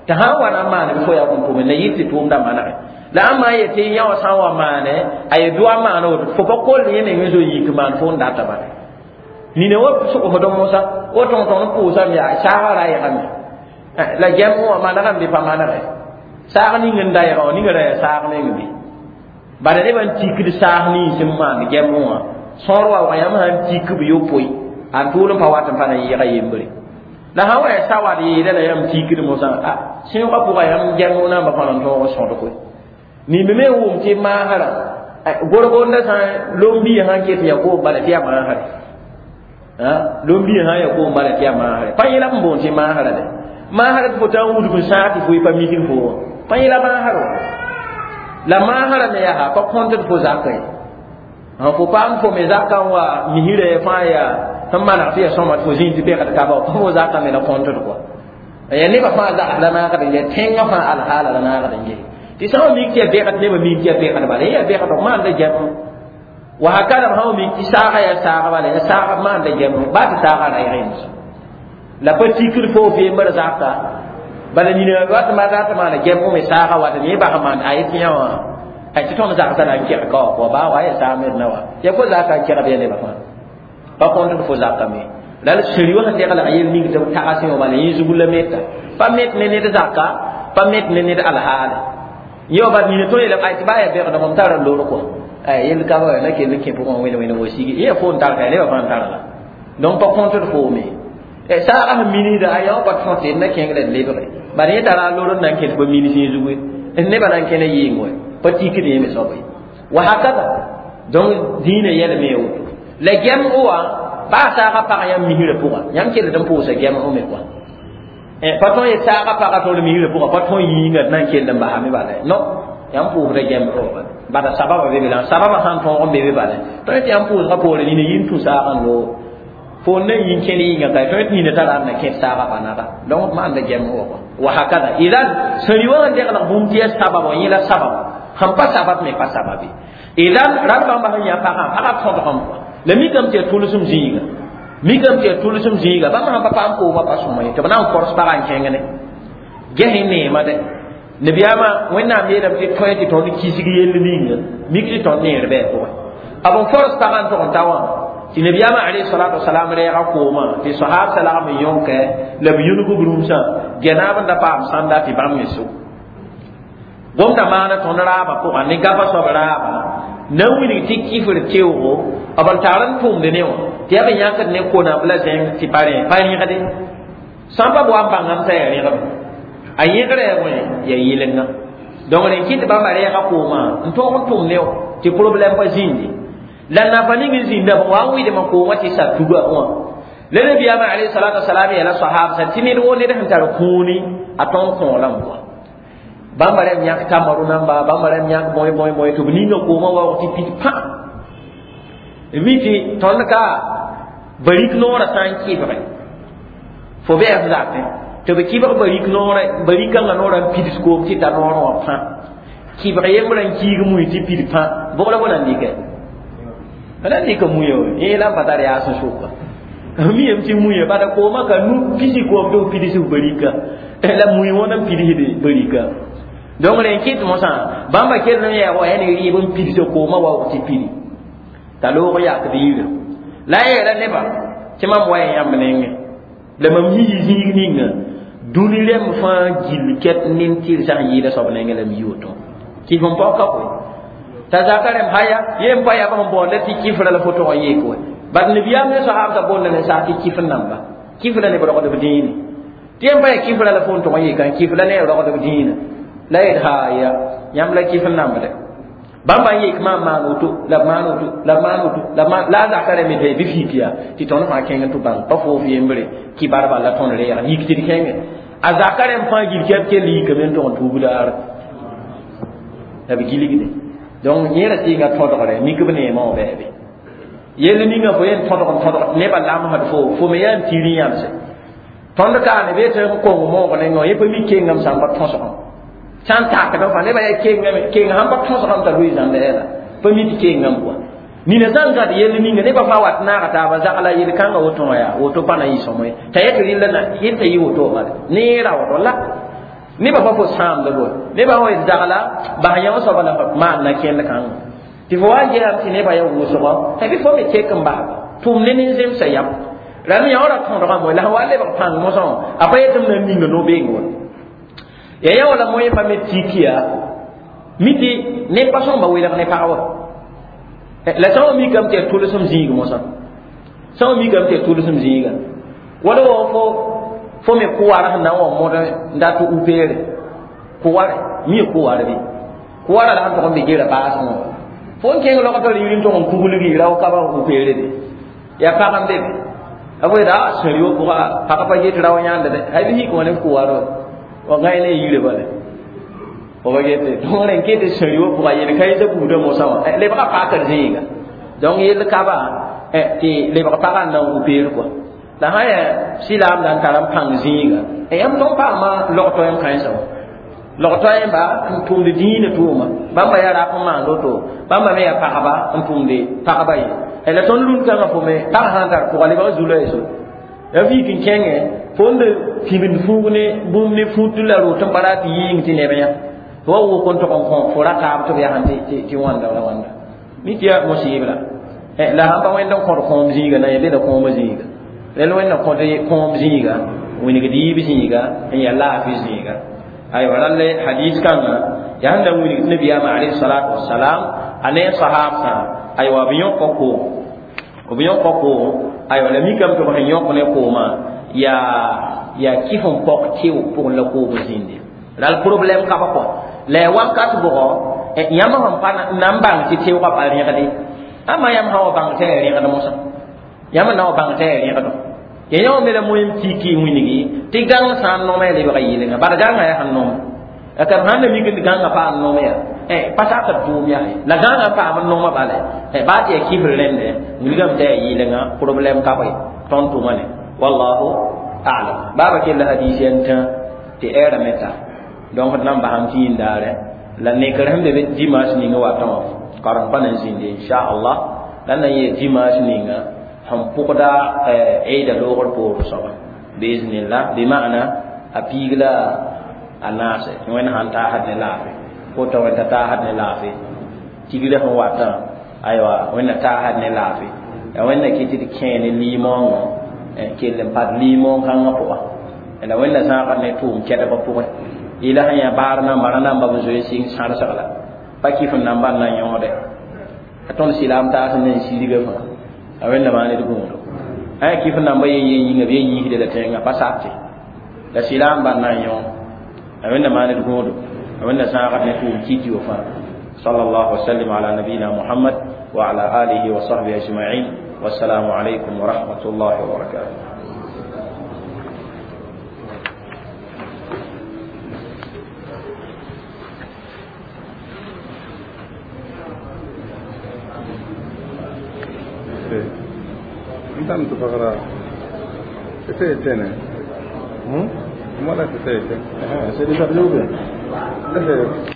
tɩ sã n wa na n maane bɩ fo yaa n tʋme la yɩ tɩ tʋʋmda manege la ãmba n yetɩ yã wã sã n wa maane a ye doa maana woto fo pa kol yẽ meng n zo yik maan fo n data bala nina wa sʋgsd mosã wa tõng-tõng n pʋʋsame yaa saaga ra yegame la gɛm wã manegame bɩ pa manege saag ning n da yega wã ninga ra yaa saag meng bɩ bala nebã n tikd saas nins n maan gɛm wã sõor wa wã yãmb sã n tik b yopoe a tʋʋl n pa wat n pa na yɩɩga yembre la sã wa yaa sawad yeela la yãmb tikd mosã a sẽogã pʋga yãmb gɛm namba pa na n tõog n sõdg nimb me n wʋm tɩ maasrã gorgonda sã lombiã sã n ket ya koom bala tɩ yaa maasre lombiã sã n ya koom bala tɩ yaa maasre pa yẽla b n boond tɩ maasrã dɛ maasrã tɩ fo tã n wudg n sãag tɩ fo pa mikd fo wã pa yẽla maasrã wã la maasrã me yaa pa kõntd fo zakã ye fo paam fo me zakã n wa misrã fãa yaa sẽn maneg tɩ yaa sõma tɩ fo zĩig tɩ pegd kaba pa fo zakã me la kõntd kɔa ya nebã fãa zags la naagd n ge tẽngã fãa alhaala la naagd n ge tɩ sã n mik tɩ yaa bẽgd nebã mik tɩ yaa bẽgd bala yaa bẽgd maanda gɛm wa hakada sã n mik tɩ saaga yaa saaga bala yaa saaga maanda gɛm baa tɩ saaga ra yẽms la pa tikd fo vembr zaka bala nina wat ma rat maana gɛm me saaga wat yẽ bas maan a yetɩ yã wã Ay tɩ tõnd zagsã na n kɛg ka wã pʋga baa wa ya saam d na wa ya fo zaka n kɛgd ya nebã fãa pa kõntd fo zakame la sẽri wã sẽn deglg yel ning tɩ b tagsẽ wã bala yẽ zug la meta pa met ne ned zaka pa met ne ned alhaale yẽ wa bat nina tõe yeelame ay tɩ baa ya bɛgdg m tara lor kɔa ay yel ka wa na kell n kẽ pʋgẽ wẽne wẽne wa sigi yẽ fo n tar ka nebã fãa n tara la donc pa kõntd foome saagã sẽn minisda a yã pa tõt d na kẽng la d lebge bad yẽ tara a lor n na n kẽ tɩ pa minis yẽ zugu nebã na n kẽna yɩɩng wa pa tikd yẽ me soaba ye wa hakada donc dĩinã yɛlme ye woto la gɛmgo wã baa saagã pag yãmb misrã pʋga yãmb kell n pʋʋsa gɛmgo me kɔa pa tõe yet saagã pagã tõd misrã pʋga pa tõe yĩnga d na n kell n basame bala non yãmb pʋʋsda gɛmgo wã bala sababa be be la sababa sãn tõog n be be bala tõe tɩ yãmb pʋʋsgã poore nina yĩn tũ saagã n loog fo na yĩn kẽn yĩnga ka tõe tɩ nina tara n na kẽd saagã pa naba donc maanda gɛmgo wã wa hakada idan sẽn wã n deglg bũmb tɩ ya sabab wã yẽ la sabab sẽn pa sabab me pa sababe idan rãmb bãmba sẽn yã pagã pagã tõdgem kɔa la mikame tɩ ya tʋlsem zĩiga mikame tɩ ya tʋlsem zĩiga bãmb sãn pa paam koomã pa sõma ye tɩ b na n kors pagã n kẽng ne ges neema dɛ nabiyaamã wẽnnaam yeelame tɩ tõe tɩ tõnd kisg yell ninga mik tɩ tõnd neer bɩ a pʋgẽ b n fors pagã n tʋg n ta wã tɩ nabiyaamã alayhi salatu wasalam rɛɛga koomã tɩ sahabsã lagm n yõkɛ la b yũnug b rũmsã gɛnaab n da paam sãnda tɩ bãmb me so gomda maana tõnd raabã pʋgã ne gapa soab raabã na n wilg tɩ kifr teoogo b n tar n tʋmd ne wã tɩ yaa b yãkd ne konam la zẽng tɩ pa rẽ pa rẽgde sã n pa b wa n bãngame t'a yaa rẽgme a yẽgrã yaa wẽ yaa yɩlenga donc rẽ kɩ tɩ bãmba rɛɛga koomã n tõog n tʋm ne wã tɩ problɛm pa zĩndi la nafa ning n zĩnda b wa n wɩdmã koomã tɩ sa tuga wã la nabiyaamã alayhi salatu wasalam yeela sahabsã tɩ ned woo ned sẽn tar kũuni a tõn kõola n bʋa bãmba rẽm yãk tamaru namba bãmba rẽm yãk bõe bõe bõe tɩ b ninga koomã waoog tɩ pid pã mi tɩ tõnd ka barik noorã sã n kɩbge fo bɩ f zakẽ tɩ b kɩbg barik noorã barikãngã noorã n pids koom tɩ ta noorã wã pã kɩbg yembrã n kiig mui tɩ pid pã bʋg la fo na n dɩkɛ f na n dɩka muya yẽ la n pa tar yaas n sʋka mi yem tɩ muya bala koomã ka nu pisi koom tɩ f pids f barika la mui wãn n pidsde barika donc rẽ kɩt mosã bãmba kell n yaa wa yaa ne rɩɩb n pids koomã waoog tɩ pidi t'a loog yakd yirã la a yeela nebã tɩ mam wa yãmb nengẽ la mam yii zĩig ninga dũni rẽmb fãa gill kɛt nin-tɩrsã sẽn yɩɩda soab nengẽ la m yi woto kɩf n paoka koe t'a zaka rẽmb haya ye n pa yaa sẽn boonda tɩ kifra la fo tog n yeek we bat nabiyaam ne sahabsã boonda ne saag tɩ kif n namba kif la neb rogdb dĩine tɩ yen pa yaa kifra la fo n tog n yeeka kif la ne rogdb dĩinã la yet haya yãmb la kif n nambde bãmba n yek maam maan woto la b maan woto la b maan woto la maan la a zaka rẽmbe tɩ bɩ fik yaa tɩ tõnd fãa kẽng tɩ bãng pa foof yembre kibar bala tõnd reega yik tɩ d kẽnge a zaka rẽmb fãa gil kɛb kell yikame n tog n tuub daara la b gilgde donc yẽ ra sɩɩnga tõdgre mik b neemã wã bɛɛbe yell ninga fo yen tõdg n tõdg tɩ nebã lamsd fo fo me yaa n tɩr yãmse tõnd kaane bee tɩ n kong moog nengã yẽ pa mi kengame sã n pa tõsgem sã n takd fãa nebã yaa kengame keng sãn pa tõsgem t'a loe zãmda yɛla pa mi tɩ kengame kɔa nina sã n gãd yell ninga nebã fãa wat naaga taaba zagla yel-kãngã woto wã yaa woto pa na yɩ sõmo ye t'a yet rɩlla na yẽ t'a yɩ woto bala neera woto la nebã pa fo sãamda boe nebã wã yet zagla bas yã wã soaba la maan na kẽnd kãngã tɩ fo wa n geesame tɩ nebã yaa wʋsgɔ t'a bɩ fo me tek n basba tʋm ne nin-zemsã yam rãmb yã wã ra tõdgame la sẽn wa lebg pãng mosã wã a pa yetɩ m na n ninga no-beeng wa ya yã wala moẽ pa me tik yaa mi tɩ neb pa sõmba welg ne pag wa la sã n mikame tɩ yaa tʋlsem zĩig mosã sã n mikame tɩ yaa tʋlsem zĩiga wala wa fo fo me kʋwar sẽn na n wa mõd n dat upeere kʋware mi kʋwar bɩ kʋwara la sẽn tʋg n be gera baasẽ wã fo n kẽng logtr yiri n tʋg n kuglgi rao kaba upeere de yaa pag n be be a fo yeta a sẽri wã pʋga pag pa get rao yãnd de hay bɩ yik wã ne kʋwar wa wa gãe ne yire bala fo pa gete donc rẽn ket sẽri wã pʋga yel kãensã buudã mosã wã lebga pakr zĩiga donc yell kaba tɩ lebg pagã n na n upeer kɔa la sã yaa silaam la n tar n pãng zĩiga yãmb tõn paama log toɛɛm kãensã wã log toɛɛmba n tʋmd dĩinã tʋʋma bãmba yaa rap n maand woto bãmba me yaa pagba n tʋmde pagba ye la tõnd rũn-kãngã fo me pag sã n tar pʋga lebg zulã ye so ya vik n kẽngẽ fo n de pibnd fuug ne bũmb ne fut la rot n pa rat tɩ yɩɩng tɩ neb yã tɩ wa wʋk n tʋg n kõ fo ra taab tɩ b yaa tɩ wãnda la wãnda mi tɩ yaa musibla la sãn pa wẽnd n kõd kõom zĩiga na yẽ bela kõomã zĩiga rẽnd wẽnna kõd kõom zĩiga wingd yiib zĩiga n yaa laafɩ zĩiga aywa rall hadis kãngã yaa sẽn na n wilg tɩ nabiyaamã alayhi salatu wasalam a ne sahabsã aywa b yõka koom b yõka koom aywa la mikame tɩ b sẽn yõk ne koomã yaa yaa kɩf n pɔg tɩʋ pʋgẽ la koom zĩnde ral problème ka pa kɔ la ya wakat bʋgɔ yãmb sẽn pa na n bãng tɩ tɩʋgã pa rẽgde ama yãmb sã wa bãng tɩ ya rẽgd mosã yãmb na wa bãng tɩ ya rẽgdo ya yã me la moem tiki wĩnigi tɩ gãng sã n nooma ya lebga yɩlenga bala gãngã yaa sẽn nooma ka sãn na mik gãngã paam noom ya pa sakd tʋʋm yaa la gãngã paam n nooma bala baa tɩ yaa kifr rẽnde wilgame tɩ yaa yɩlenga problème ka bõe tõnd tʋma ne wallahu a'lam baaba kell hadis n tã tɩ ɛɛra me ta donc d na n basam tɩ yĩndaarɛ la nekr sẽn be be dimanche ninga watã wã karem pa na n zĩnde inchallah la na n yee dimanche ninga sẽn pʋgda eida loogr poor soaba biiznillah bima'na a piig la a naase wẽnd sãn taasd ne laafɩ kota wẽnd t'a taasd ne laafɩ tigrã sẽn watã aywa wẽnna taasd ne laafɩ ya wẽnna kɩ tɩ d kẽe ne liimoongõ kell n pad liimoong-kãngã pʋga la wẽnna zãagd ne tʋʋm kɛdbã pʋgẽ ila sẽn yaa baar namba ra namba b zoe sɩng sãrsg la pa kɩf n namba n na yõode a tõnd sɩlaam taas n na n sirga fãa a wẽnna maan d gũudo a yaa kɩf n namba yen yen yĩnga b yen yiisde la tẽngã pa sakte la sɩlaam ban na n yõ a wẽnna maan d gũudo a wẽnna zãagd ne tʋʋm kiki wa fãa sallallahu wasallim ala nabiyina muhammad wa ala alihi wa sahbihi ajma'in wassalamu alaykum wa rahmatullahi wa barakatuh. Ntam tu pakara. C'était Étienne. Hum? Moi là c'était Étienne. C'est déjà bien. C'est